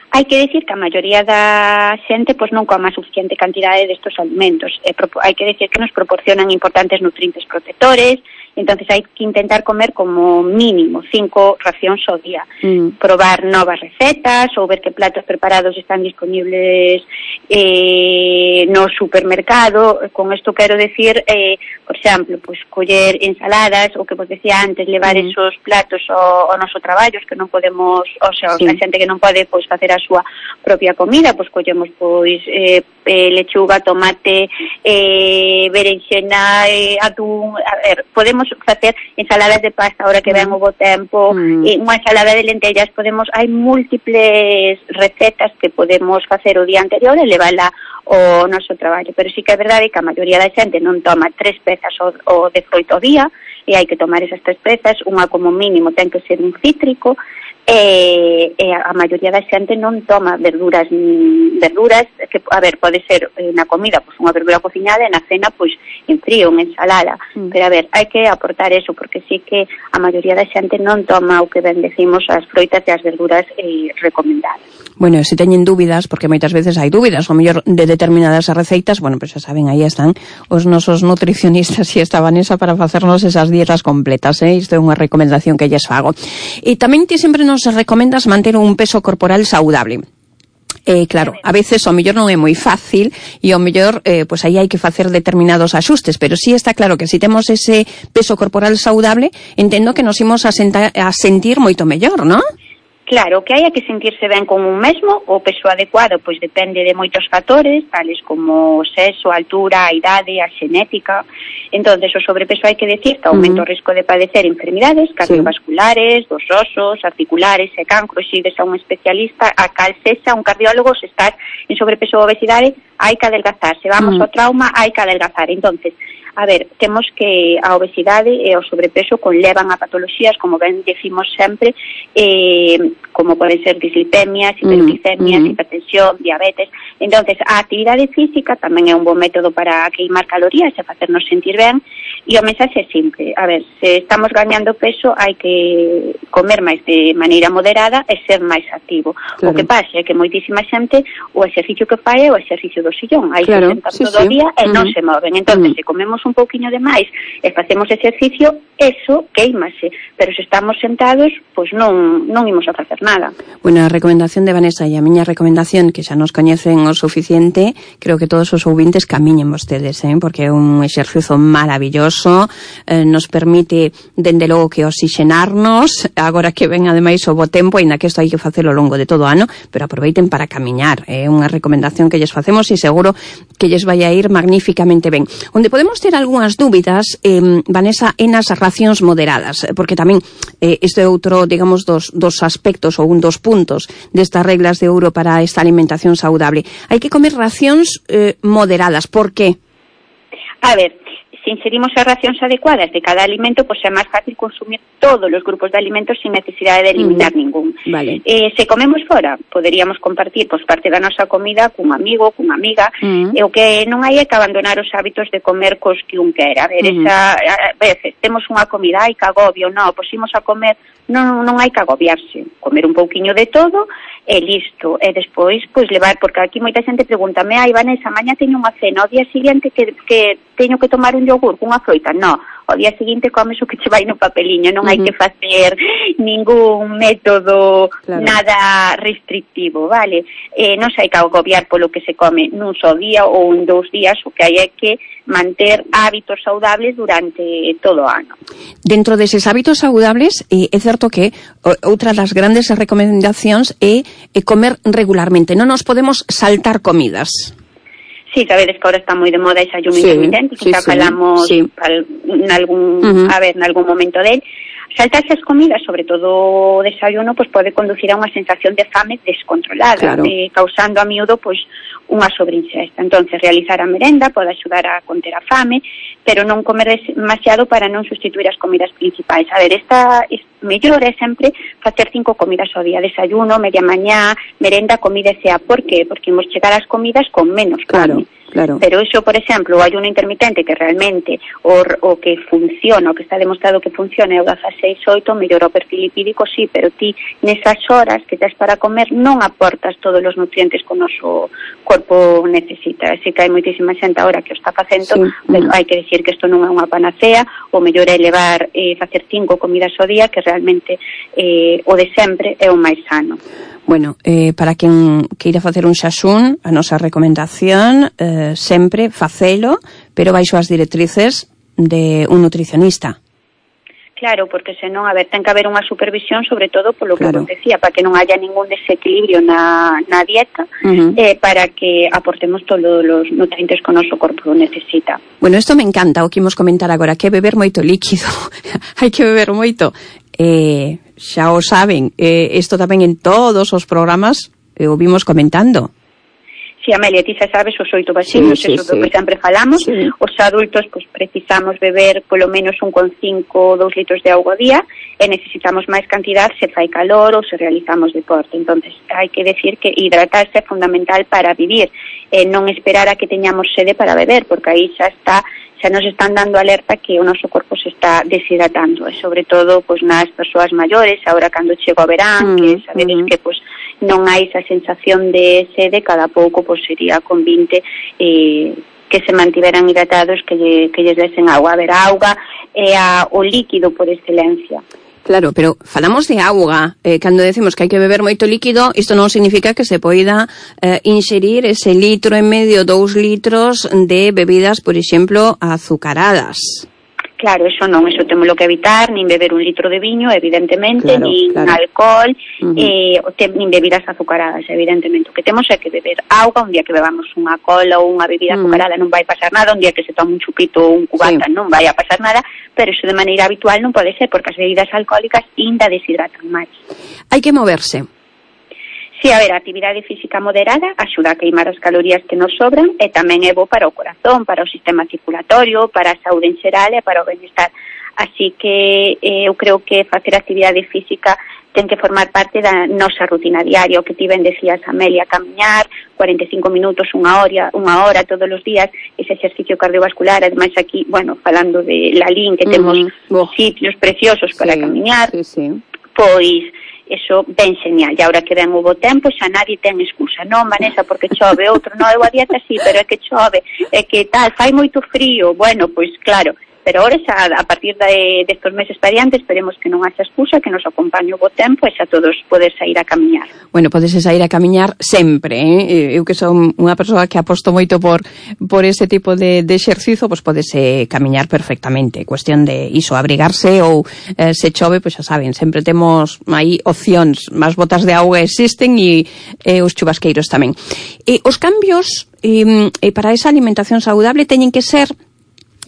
Hai que decir que a maioría da xente pois non coma suficiente cantidade destos alimentos. Eh, hai que decir que nos proporcionan importantes nutrientes protectores, entonces hai que intentar comer como mínimo cinco racións ao día. Mm. Probar novas recetas ou ver que platos preparados están disponibles eh, no supermercado. Con isto quero decir, eh, por exemplo, pues, coller ensaladas, o que vos decía antes, levar mm. esos platos ao, ao noso traballo, que non podemos, o sea, sí. a xente que non pode pois, facer a súa propia comida, pois collemos pois eh, eh, lechuga, tomate, eh, berenxena, eh, atún, a ver, podemos facer ensaladas de pasta ahora que ven o bo tempo, mm. e unha ensalada de lentellas, podemos, hai múltiples recetas que podemos facer o día anterior e levala ao noso traballo, pero sí que é verdade que a maioría da xente non toma tres pezas o, o de froito ao día, e hai que tomar esas tres pezas, unha como mínimo ten que ser un cítrico, e, e a maioría da xente non toma verduras verduras que, a ver, pode ser na comida pois unha verdura cociñada e na cena pois en frío, unha ensalada, mm. pero a ver, hai que aportar eso, porque sí que a maioría da xente non toma o que ben decimos as froitas e as verduras eh, recomendadas. Bueno, se teñen dúbidas, porque moitas veces hai dúbidas, o mellor de determinadas receitas, bueno, pois pues xa saben, aí están os nosos nutricionistas e esta Vanessa para facernos esas dietas completas, eh? Isto é unha recomendación que lles fago. E tamén ti sempre nos recomendas manter un peso corporal saudable. Eh, claro, a veces o mellor non é moi fácil e o mellor, eh, pues aí hai que facer determinados axustes, pero sí está claro que se si temos ese peso corporal saudable, entendo que nos imos a, senta, a sentir moito mellor, non? Claro, que hai que sentirse ben con un mesmo, o peso adecuado pois depende de moitos factores, tales como o sexo, a altura, a idade, a xenética. Entonces, o sobrepeso hai que decir que aumenta uh -huh. o risco de padecer enfermidades cardiovasculares, sí. dos osos, articulares e cancro. Se ides a un especialista, a cal sexa un cardiólogo, se estás en sobrepeso ou obesidade, hai que adelgazar. Se vamos uh -huh. ao trauma, hai que adelgazar. Entonces, a ver, temos que a obesidade e o sobrepeso conlevan a patoloxías, como ben decimos sempre, eh, como poden ser dislipemias, hiperglicemias, mm, mm. hipertensión, diabetes. Entonces, a actividade física tamén é un bon método para queimar calorías e facernos sentir ben, e o mensaxe é simple. A ver, se estamos gañando peso, hai que comer máis de maneira moderada e ser máis activo. Claro. O que pasa é que moitísima xente o exercicio que fai é o exercicio do sillón. Aí claro. se sentan sí, todo o sí. día e mm. non se moven. Entonces, mm. se comemos un pouquiño de máis e facemos exercicio, eso queimase, pero se estamos sentados, pois non non imos a facer nada. Bueno, a recomendación de Vanessa e a miña recomendación, que xa nos coñecen o suficiente, creo que todos os ouvintes camiñen vostedes, eh? Porque é un exercicio maravilloso, eh, nos permite, dende logo, que oxixenarnos, agora que ven ademais o bo tempo, ainda que isto hai que facelo ao longo de todo o ano, pero aproveiten para camiñar, é eh? unha recomendación que lles facemos e seguro que lles vai a ir magníficamente ben. Onde podemos ter algunhas dúbidas, eh, Vanessa, en as racións moderadas, porque tamén eh, isto é outro, digamos, dos, dos aspectos ou un dos puntos destas reglas de ouro para esta alimentación saudable. Hai que comer racións eh, moderadas. Por qué? A ver, se inserimos as racións adecuadas de cada alimento, pois é máis fácil consumir todos os grupos de alimentos sin necesidade de eliminar uh-huh. ningún. Vale. Eh, se comemos fora, poderíamos compartir pois, parte da nosa comida cun amigo, cunha amiga, uh-huh. e o que non hai é que abandonar os hábitos de comer cos que un quera. A ver, uh-huh. esa, a veces temos unha comida, ai, que agobio, non, pois imos a comer, non, non hai que agobiarse, comer un pouquiño de todo, e listo, e despois, pois levar, porque aquí moita xente pregúntame, ai, Vanessa, mañá teño unha cena, o día seguinte que, que teño que tomar un yogur cunha froita, non, o día seguinte comes o que che vai no papeliño, non uh-huh. hai que facer ningún método, claro. nada restrictivo, vale? Eh, non se hai que agobiar polo que se come nun só día ou en dous días, o que hai é que manter hábitos saudables durante todo o ano. Dentro deses hábitos saudables, eh, é certo que outra das grandes recomendacións é, é comer regularmente, non nos podemos saltar comidas. Sí, sabedes que ahora está moi de moda ese ayuno sí, intermitente, que sí, xa sí, falamos sí. en algún, uh-huh. a ver, en algún momento del. Saltarse as comidas, sobre todo o desayuno, pues pode conducir a unha sensación de fame descontrolada, claro. eh, causando a miúdo pues unha sobreinsesta. Entonces, realizar a merenda pode axudar a conter a fame, pero non comer demasiado para non sustituir as comidas principais. A ver, esta es, mellor é sempre facer cinco comidas ao día, desayuno, media mañá, merenda, comida e cea. Por qué? Porque imos chegar ás comidas con menos fame. Claro. Claro. Pero iso, por exemplo, o ayuno intermitente que realmente o, o que funciona, o que está demostrado que funciona é o dieciséis oito, mellor o perfil lipídico, sí, pero ti nesas horas que tes para comer non aportas todos os nutrientes que o noso corpo necesita. Así que hai moitísima xente agora que o está facendo, sí. pero hai que decir que isto non é unha panacea, o mellor é levar, eh, facer cinco comidas ao día, que realmente eh, o de sempre é o máis sano. Bueno, eh, para quen queira facer un xaxún, a nosa recomendación eh, sempre facelo, pero baixo as directrices de un nutricionista. Claro, porque senón, a ver, ten que haber unha supervisión, sobre todo polo que claro. decía, para que non haya ningún desequilibrio na, na dieta, uh-huh. eh, para que aportemos todos os nutrientes que o noso corpo necesita. Bueno, isto me encanta, o que imos comentar agora, que beber moito líquido, hai que beber moito. Eh, xa o saben, eh, isto tamén en todos os programas eh, o vimos comentando. Sí, Amelia, ti xa sabes os oito vacilos, sí, sí, eso sí. do que sempre falamos. Sí. Os adultos, pues, precisamos beber polo menos un con cinco, dous litros de auga ao día, e necesitamos máis cantidad se fai calor ou se realizamos deporte. Entonces, hai que decir que hidratarse é fundamental para vivir, e non esperar a que teñamos sede para beber, porque aí xa está xa nos están dando alerta que o noso corpo se está deshidratando, e sobre todo pues, nas persoas maiores, agora cando chego o verán, mm, que sabedes mm. que pues, non hai esa sensación de sede, cada pouco pues, sería convinte eh, que se mantiveran hidratados, que, lle, que lles desen agua. A ver, a auga é a, o líquido por excelencia. Claro, pero falamos de auga, eh, cando decimos que hai que beber moito líquido, isto non significa que se poida eh, inxerir ese litro e medio, dous litros de bebidas, por exemplo, azucaradas. Claro, eso non, eso temos que evitar, nin beber un litro de viño, evidentemente, claro, nin claro. alcohol, uh-huh. eh, te, nin bebidas azucaradas, evidentemente. O que temos é que beber auga, un día que bebamos unha cola ou unha bebida uh-huh. azucarada non vai pasar nada, un día que se tome un chupito ou un cubata sí. non vai a pasar nada, pero iso de maneira habitual non pode ser, porque as bebidas alcohólicas ainda deshidratan máis. Hai que moverse. Sí, a ver, a actividade física moderada axuda a queimar as calorías que nos sobran e tamén é bo para o corazón, para o sistema circulatorio, para a saúde en xeral e para o benestar. Así que eh, eu creo que facer actividade física ten que formar parte da nosa rutina diaria, o que ti ben decías, Amelia, camiñar cuarenta e cinco minutos, unha hora, unha hora todos os días, ese exercicio cardiovascular, ademais aquí, bueno, falando de Lalín, que temos uh-huh. sitios preciosos para sí, camiñar, sí, sí. pois eso ben genial. E agora que ven o bo tempo, xa nadie ten excusa. Non, Vanessa, porque chove, outro, non, eu a dieta sí, pero é que chove, é que tal, fai moito frío. Bueno, pois claro, pero ahora xa a partir de destos meses para diante esperemos que non haxa excusa, que nos acompañe o bo tempo e xa todos podes sair a camiñar. Bueno, podes sair a camiñar sempre, eh? Eu que son unha persoa que aposto moito por por ese tipo de, de exercizo, pois podes eh, camiñar perfectamente. Cuestión de iso, abrigarse ou eh, se chove, pois xa saben, sempre temos aí opcións, máis botas de auga existen e eh, os chubasqueiros tamén. E os cambios eh, eh, para esa alimentación saudable teñen que ser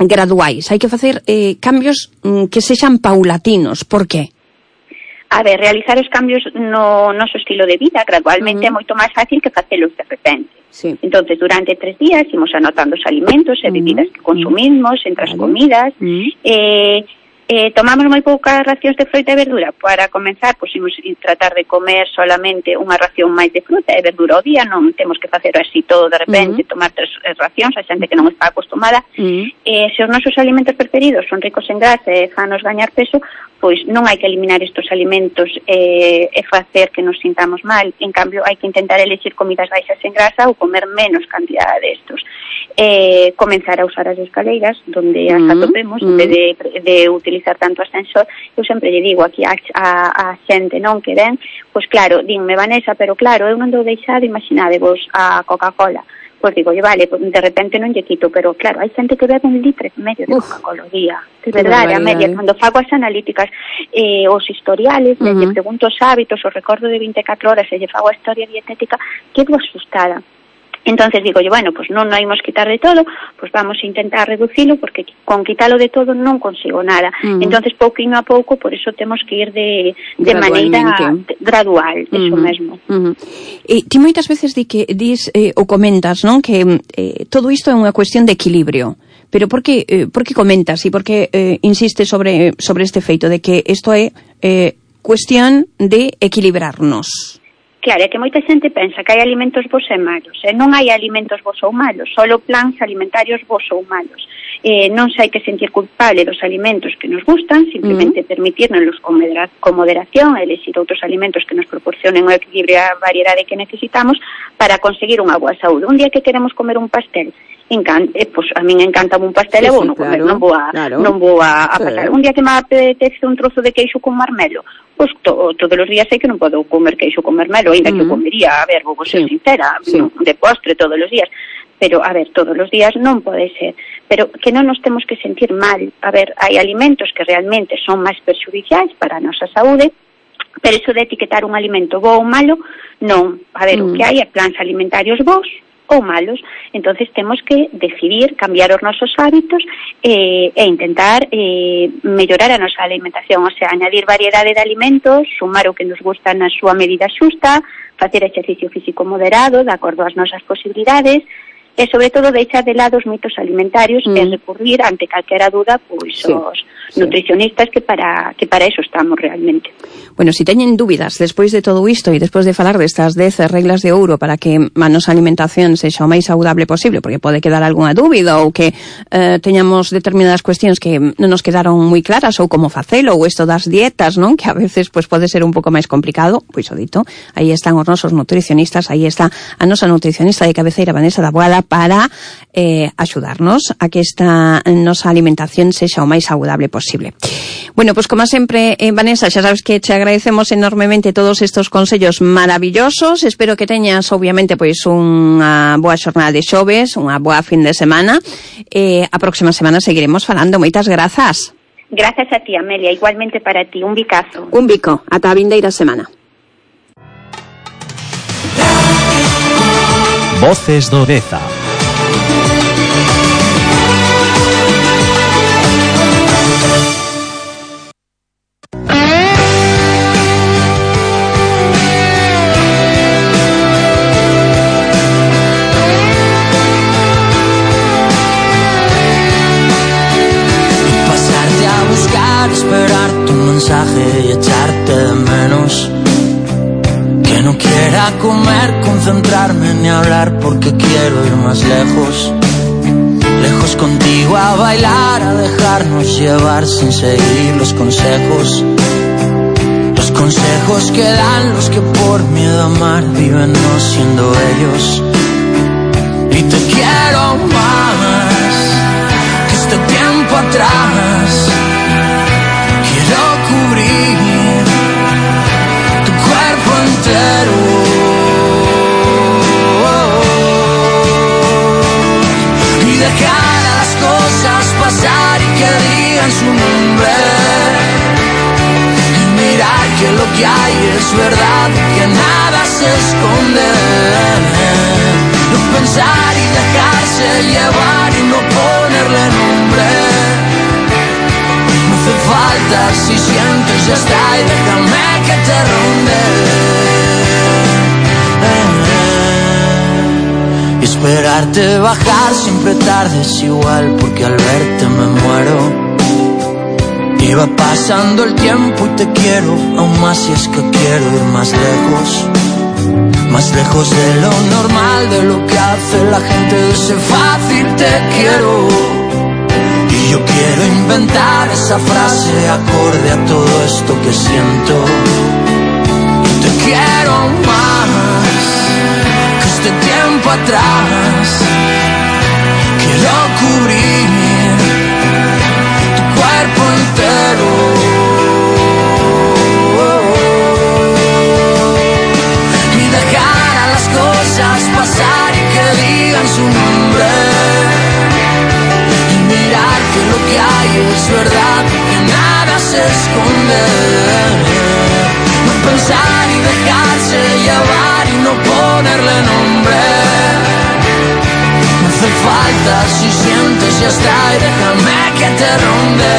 graduais, hai que facer eh, cambios mm, que sexan paulatinos. Por qué? A ver, realizar os cambios no noso estilo de vida gradualmente uh-huh. é moito máis fácil que facelos de repente. Sí. Entonces, durante tres días imos anotando os alimentos e bebidas uh-huh. que consumimos entre as vale. comidas. Uh-huh. Eh, eh, tomamos moi poucas racións de froita e verdura. Para comenzar, pois imos tratar de comer solamente unha ración máis de fruta e verdura ao día. Non temos que facer así todo de repente, uh-huh. tomar tres racións, a xente que non está acostumada. Uh-huh. Eh, se os nosos alimentos preferidos son ricos en grasa e fanos gañar peso, pois non hai que eliminar estes alimentos eh, e facer que nos sintamos mal. En cambio, hai que intentar elegir comidas baixas en grasa ou comer menos cantidad de estos. Eh, comenzar a usar as escaleiras, donde as Mm, atopemos, mm. en vez de, de utilizar tanto ascensor. Eu sempre lle digo aquí a, a, a xente non que ven, pois claro, dinme, Vanessa, pero claro, eu non dou deixado, imaginadevos a Coca-Cola. Pois digo, vale, pues de repente non lle quito, pero claro, hai xente que bebe un litro e medio de Coca-Cola ao día. De verdade, a media, cando fago as analíticas, eh, os historiales, uh-huh. lle pregunto os hábitos, os recordo de vinte e catro horas, e lle fago a historia dietética, quedo asustada. Entonces digo, bueno, pues non nos imos quitar de todo, pues vamos a intentar reducilo, porque con quitalo de todo non consigo nada. Uh-huh. Entonces, pouquinho a pouco, por eso temos que ir de, de maneira gradual, uh-huh. eso mesmo. Uh-huh. E ti moitas veces di que dis eh, ou comentas, non, que eh, todo isto é unha cuestión de equilibrio. Pero por que, eh, por que comentas e por que eh, insiste sobre, sobre este feito de que isto é eh, cuestión de equilibrarnos? Claro, é que moita xente pensa que hai alimentos bons e malos, e non hai alimentos bons ou malos, solo plans alimentarios bons ou malos. Eh, non se hai que sentir culpable dos alimentos que nos gustan, simplemente uh-huh. permitirnos con, medera, con moderación, elegir outros alimentos que nos proporcionen o equilibrio e a variedade que necesitamos para conseguir unha boa saúde. Un día que queremos comer un pastel, Encan, eh, pues a min encanta un pastel sí, e vou non comer, claro, non vou a, claro. non vou a, a sí. pasar. Un día que me apetece un trozo de queixo con marmelo, pois pues to, todos os días sei que non podo comer queixo con marmelo, ainda uh-huh. que o comería, a ver, vou ser sí. sincera, sí. de postre todos os días. Pero, a ver, todos os días non pode ser. Pero que non nos temos que sentir mal. A ver, hai alimentos que realmente son máis perxudiciais para a nosa saúde, pero iso de etiquetar un alimento bo ou malo, non. A ver, mm. o que hai é plans alimentarios bons ou malos. Entonces temos que decidir cambiar os nosos hábitos eh, e intentar eh, mellorar a nosa alimentación, o sea, añadir variedade de alimentos, sumar o que nos gusta na súa medida xusta, facer exercicio físico moderado, de acordo ás nosas posibilidades, e sobre todo deixar de lado os mitos alimentarios mm. e recurrir ante calquera duda pois sí, os sí. nutricionistas que para que para eso estamos realmente. Bueno, si teñen dúbidas despois de todo isto e despois de falar destas dez reglas de ouro para que a nosa alimentación sexa o máis saudable posible, porque pode quedar algunha dúbida ou que eh, teñamos determinadas cuestións que non nos quedaron moi claras ou como facelo ou isto das dietas, non? Que a veces pues, pode ser un pouco máis complicado, pois o dito, aí están os nosos nutricionistas, aí está a nosa nutricionista de cabeceira Vanessa Taboada para eh, axudarnos a que esta nosa alimentación sexa o máis saudable posible. Bueno, pues como sempre, eh, Vanessa, xa sabes que te agradecemos enormemente todos estos consellos maravillosos. Espero que teñas, obviamente, pois unha boa xornada de xoves, unha boa fin de semana. Eh, a próxima semana seguiremos falando. Moitas grazas. Gracias a ti, Amelia. Igualmente para ti. Un bicazo. Un bico. Ata a vindeira semana. Voces do Deza. Pasarte a buscar, esperar tu mensaje y echarte de menos. Que no quiera comer, concentrarme ni hablar porque quiero ir más lejos. Lejos contigo a bailar, a dejarnos llevar sin seguir los consejos. Los consejos que dan los que por miedo a amar viven no siendo ellos. Y te quiero más que este tiempo atrás. Quiero cubrir tu cuerpo entero. Dejar a las cosas pasar y que digan su nombre. Y mirar que lo que hay es verdad, que nada se esconde. No pensar y dejarse llevar y no ponerle nombre. No hace falta si sientes ya está y déjame que te ronde. Y esperarte bajar siempre tarde es igual, porque al verte me muero. Y va pasando el tiempo y te quiero aún más, si es que quiero ir más lejos, más lejos de lo normal, de lo que hace la gente, de ese fácil te quiero. Y yo quiero inventar esa frase acorde a todo esto que siento. Y te quiero más que este tiempo atrás. Quiero cubrir tu cuerpo entero y dejar a las cosas pasar y que digan su nombre. Que lo que hay es verdad, que nada se esconde. No pensar y dejarse llevar y no ponerle nombre. No hace falta si sientes ya está y déjame que te ronde.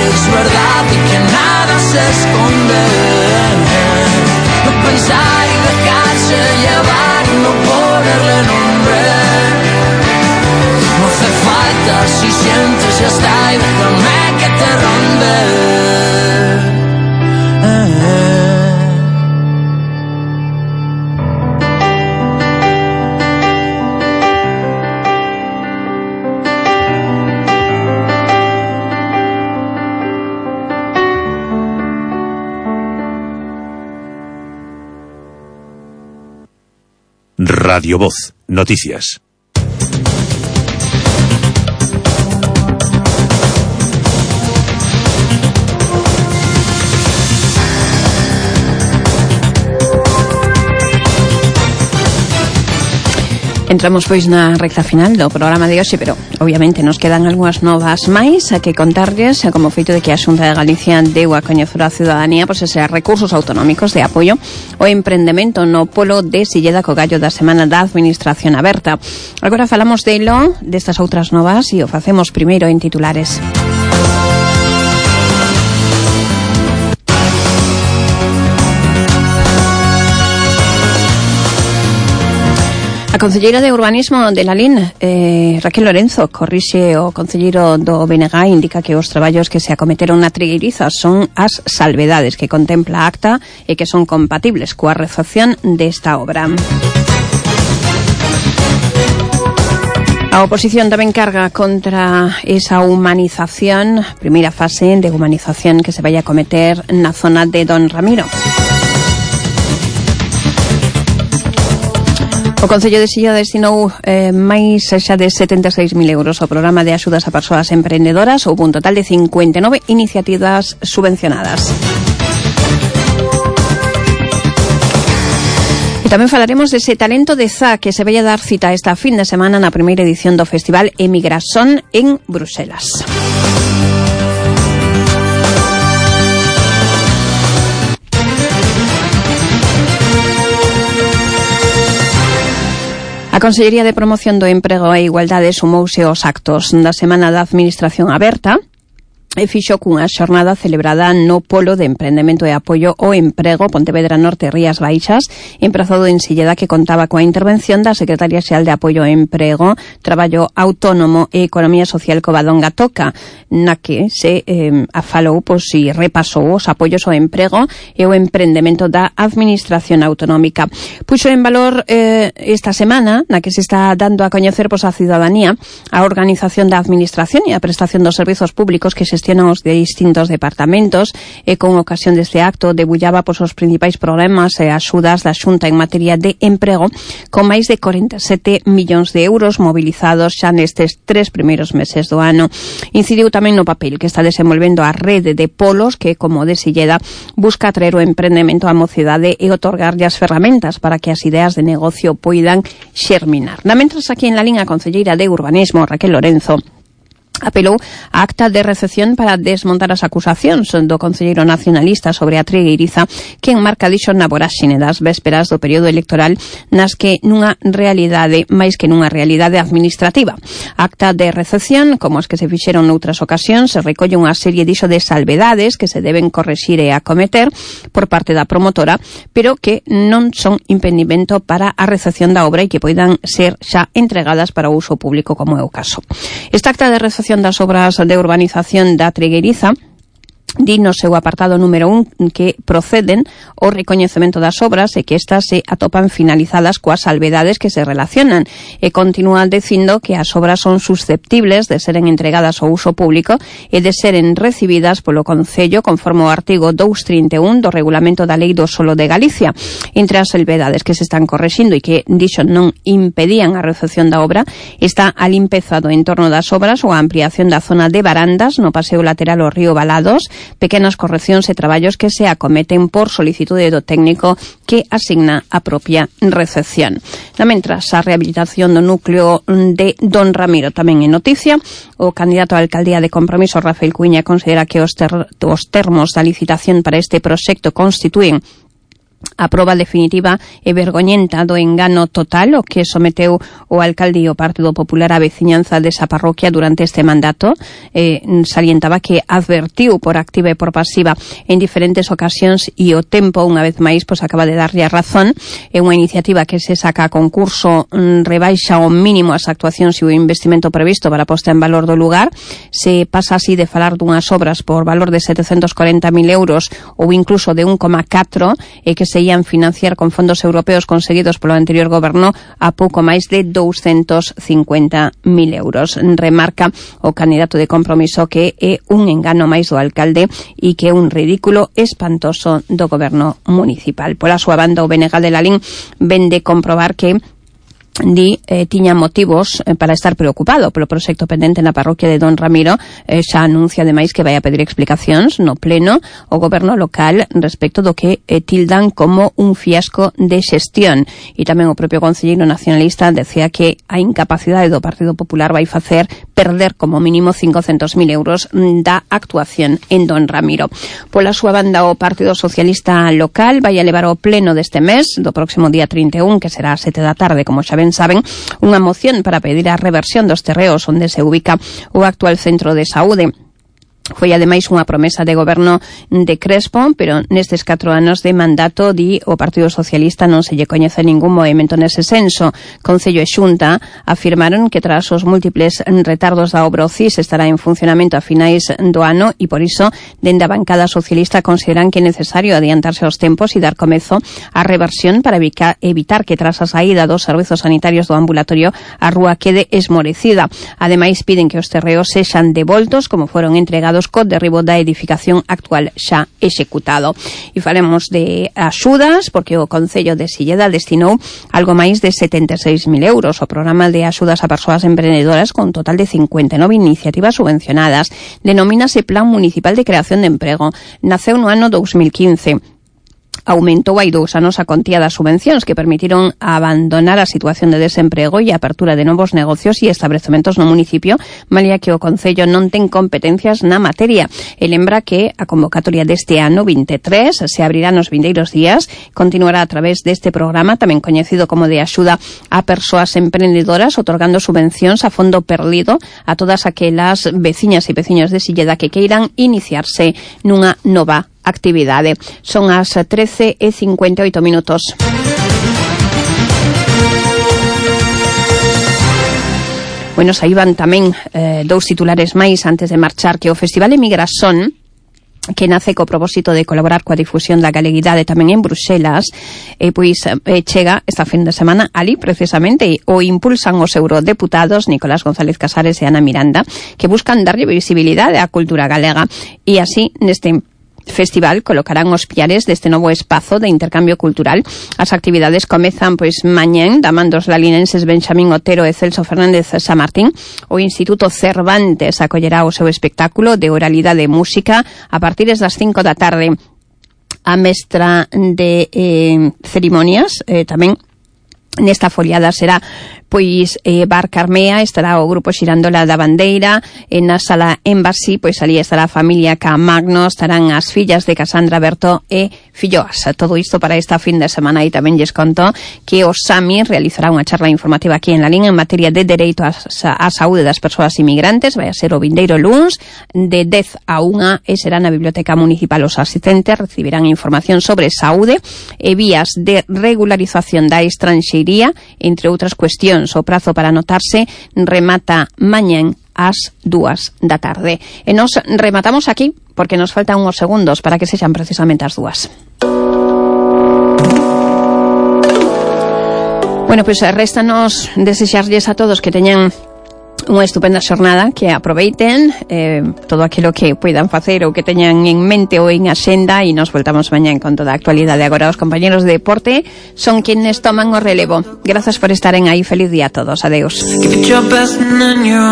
Es verdad y que nada se esconde. No pensar y dejarse llevar y no ponerle nombre. No hace falta si sientes ya está y déjame que te ronde. Radio Voz, noticias. Entramos pois na recta final do programa de hoxe, pero obviamente nos quedan algunhas novas máis a que contarlles, como feito de que a Xunta de Galicia deu a coñecer á ciudadanía pois eses recursos autonómicos de apoio ao emprendemento no polo de Silleda co gallo da Semana da Administración Aberta. Agora falamos delo, destas outras novas, e o facemos primeiro en titulares. A concelleira de Urbanismo de Lalín, eh, Raquel Lorenzo, corrixe o concelleiro do B N G, indica que os traballos que se acometeron na Trigueiriza son as salvedades que contempla a acta e que son compatibles coa recepción desta obra. A oposición tamén carga contra esa humanización, primeira fase de humanización que se vai a cometer na zona de Don Ramiro. O Concello de Silla destinou eh, máis xa de setenta e seis mil euros ao programa de axudas a persoas emprendedoras, houve un total de cincuenta e nove iniciativas subvencionadas. E tamén falaremos dese talento de Z que se vai a dar cita esta fin de semana na primeira edición do Festival Emigración en Bruselas. A Consellería de Promoción do Emprego e Igualdade sumouse aos actos da Semana da Administración Aberta e fixo cunha xornada celebrada no Polo de Emprendemento e Apoio ao Emprego Pontevedra Norte Rías Baixas, emprazado en Silleda, que contaba coa intervención da Secretaria Xeral de Apoio ao Emprego, Traballo Autónomo e Economía Social Covadonga Toca, na que se eh, afalou pois, e repasou os apoios ao emprego e ao emprendemento da Administración Autonómica. Puxo en valor eh, esta semana, na que se está dando a coñecer pois, a ciudadanía a organización da Administración e a prestación dos servizos públicos que se xestionan os distintos departamentos e con ocasión deste acto debullaba pois, os principais problemas e axudas da Xunta en materia de emprego con máis de corenta e sete millóns de euros mobilizados xa nestes tres primeiros meses do ano. Incidiu tamén no papel que está desenvolvendo a rede de polos que, como de Silleda, busca atraer o emprendemento á mocidade e otorgarlle as ferramentas para que as ideas de negocio poidan xerminar. Na mentras aquí en la liña, a concelleira de Urbanismo, Raquel Lorenzo, apelou a acta de recepción para desmontar as acusacións do concelleiro nacionalista sobre a trigueiriza que enmarca dixo na voráxine das vésperas do período electoral nas que nunha realidade máis que nunha realidade administrativa. A acta de recepción, como as que se fixeron noutras ocasións, se recolle unha serie dixo de salvedades que se deben correxir e acometer por parte da promotora, pero que non son impedimento para a recepción da obra e que poidan ser xa entregadas para o uso público, como é o caso. Esta acta de recepción das obras de urbanización da Trigueiriza di no seu apartado número un que proceden o recoñecemento das obras e que estas se atopan finalizadas coas salvedades que se relacionan e continúan dicindo que as obras son susceptibles de seren entregadas ao uso público e de seren recibidas polo Concello conforme o artigo doscientos trinta e un do Regulamento da Lei do Solo de Galicia. Entre as salvedades que se están correxindo e que dixo non impedían a recepción da obra está a limpeza do entorno das obras ou a ampliación da zona de barandas no paseo lateral ao río Balados, pequenas correccións e traballos que se acometen por solicitude do técnico que asigna a propia recepción. Na mentras, a rehabilitación do núcleo de Don Ramiro tamén é noticia. O candidato á alcaldía de Compromiso, Rafael Cuiña, considera que os, ter- os termos da licitación para este proxecto constitúen a proba definitiva e vergoñenta do engano total o que someteu o alcalde e o Partido Popular á veciñanza desa parroquia durante este mandato. Eh, salientaba que advertiu por activa e por pasiva en diferentes ocasións e o tempo, unha vez máis, pois acaba de darlle a razón. É unha iniciativa que se saca a concurso, mm, rebaixa ao mínimo as actuacións e o investimento previsto para a posta en valor do lugar. Se pasa así de falar dunhas obras por valor de setecentos corenta mil euros ou incluso de un coma catro e que se ian financiar con fondos europeos conseguidos polo anterior goberno a pouco máis de douscentos cincuenta mil euros. Remarca o candidato de Compromiso que é un engano máis do alcalde e que é un ridículo espantoso do goberno municipal. Pola súa banda, o Benegal de Lalín vende comprobar que Di eh, tiña motivos eh, para estar preocupado polo proxecto pendente na parroquia de Don Ramiro. Eh, xa anuncia ademais que vai a pedir explicacións no pleno o goberno local respecto do que eh, tildan como un fiasco de xestión. E tamén o propio concelleiro nacionalista decía que a incapacidade do Partido Popular vai facer perder como mínimo cincocentos mil euros da actuación en Don Ramiro. Pola súa banda, o Partido Socialista local vai a levar ao pleno deste mes, do próximo día trinta e un, que será a sete da tarde, como xa saben, unha moción para pedir a reversión dos terreos onde se ubica o actual centro de saúde. Foi ademais unha promesa de goberno de Crespo, pero nestes catro anos de mandato di o Partido Socialista non se lle coñece ningún movimento nese senso. Concello e Xunta afirmaron que tras os múltiples retardos da obra o C I S estará en funcionamento a finais do ano e por iso dende a bancada socialista consideran que é necesario adiantarse aos tempos e dar comezo á reversión para evitar que tras a saída dos servizos sanitarios do ambulatorio a rúa quede esmorecida. Ademais piden que os terreos sexan devoltos como foron entregados co derribo da edificación actual xa executado. E falemos de axudas, porque o Concello de Silleda destinou algo máis de setenta e seis mil euros ao programa de axudas a persoas emprendedoras con total de cincuenta e nove iniciativas subvencionadas. Denomínase Plan Municipal de Creación de Emprego. Naceu no ano dous mil quince. Aumentou hai dous anos a contía das subvencións que permitiron abandonar a situación de desemprego e a apertura de novos negocios e establecementos no municipio, malia que o Concello non ten competencias na materia. E lembra que a convocatoria deste ano vinte e tres se abrirá nos vindeiros días, continuará a través deste programa, tamén coñecido como de axuda a persoas emprendedoras, otorgando subvencións a fondo perdido a todas aquelas veciñas e veciños de Silleda que queiran iniciarse nunha nova actividade. Son as trece e cincuenta e oito minutos. Bueno, saíban tamén eh, dous titulares máis antes de marchar, que o Festival Emigrasón que nace co propósito de colaborar coa difusión da galeguidade tamén en Bruxelas, e pois eh, chega esta fin de semana ali precisamente o impulsan os eurodeputados Nicolás González Casares e Ana Miranda, que buscan darlle visibilidade á cultura galega, e así neste festival colocarán os piares deste novo espazo de intercambio cultural. As actividades comezan pois mañén da man dos lalinenses Benxamín Otero e Celso Fernández Samartín. O Instituto Cervantes acollerá o seu espectáculo de oralidade e música a partir das cinco da tarde. A mestra de eh, cerimonias eh, tamén nesta foliada será pois eh, Bar Carmea, estará o grupo Xirandola da Bandeira, en na sala Embassy, pois ali estará a familia Camagno, estarán as fillas de Casandra Berto e filloas. Todo isto para esta fin de semana, e tamén lles conto que o SAMI realizará unha charla informativa aquí en la Lin en materia de dereito á saúde das persoas inmigrantes. Vai a ser o vindeiro luns de dez a unha e será na Biblioteca Municipal. Os asistentes recibirán información sobre saúde e vías de regularización da estranxeiría, entre outras cuestións. O prazo para anotarse remata mañén ás dúas da tarde. E nos rematamos aquí porque nos faltan uns segundos para que sexan precisamente as dúas. Bueno, pois pues, réstanos desexarlles a todos que teñan unha estupenda xornada, que aproveiten eh, todo aquilo que poidan facer ou que teñan en mente ou en axenda, e nos voltamos mañán con toda a actualidade. Agora os compañeros de deporte son quienes toman o relevo. Grazas por estaren aí, feliz día a todos, adeus.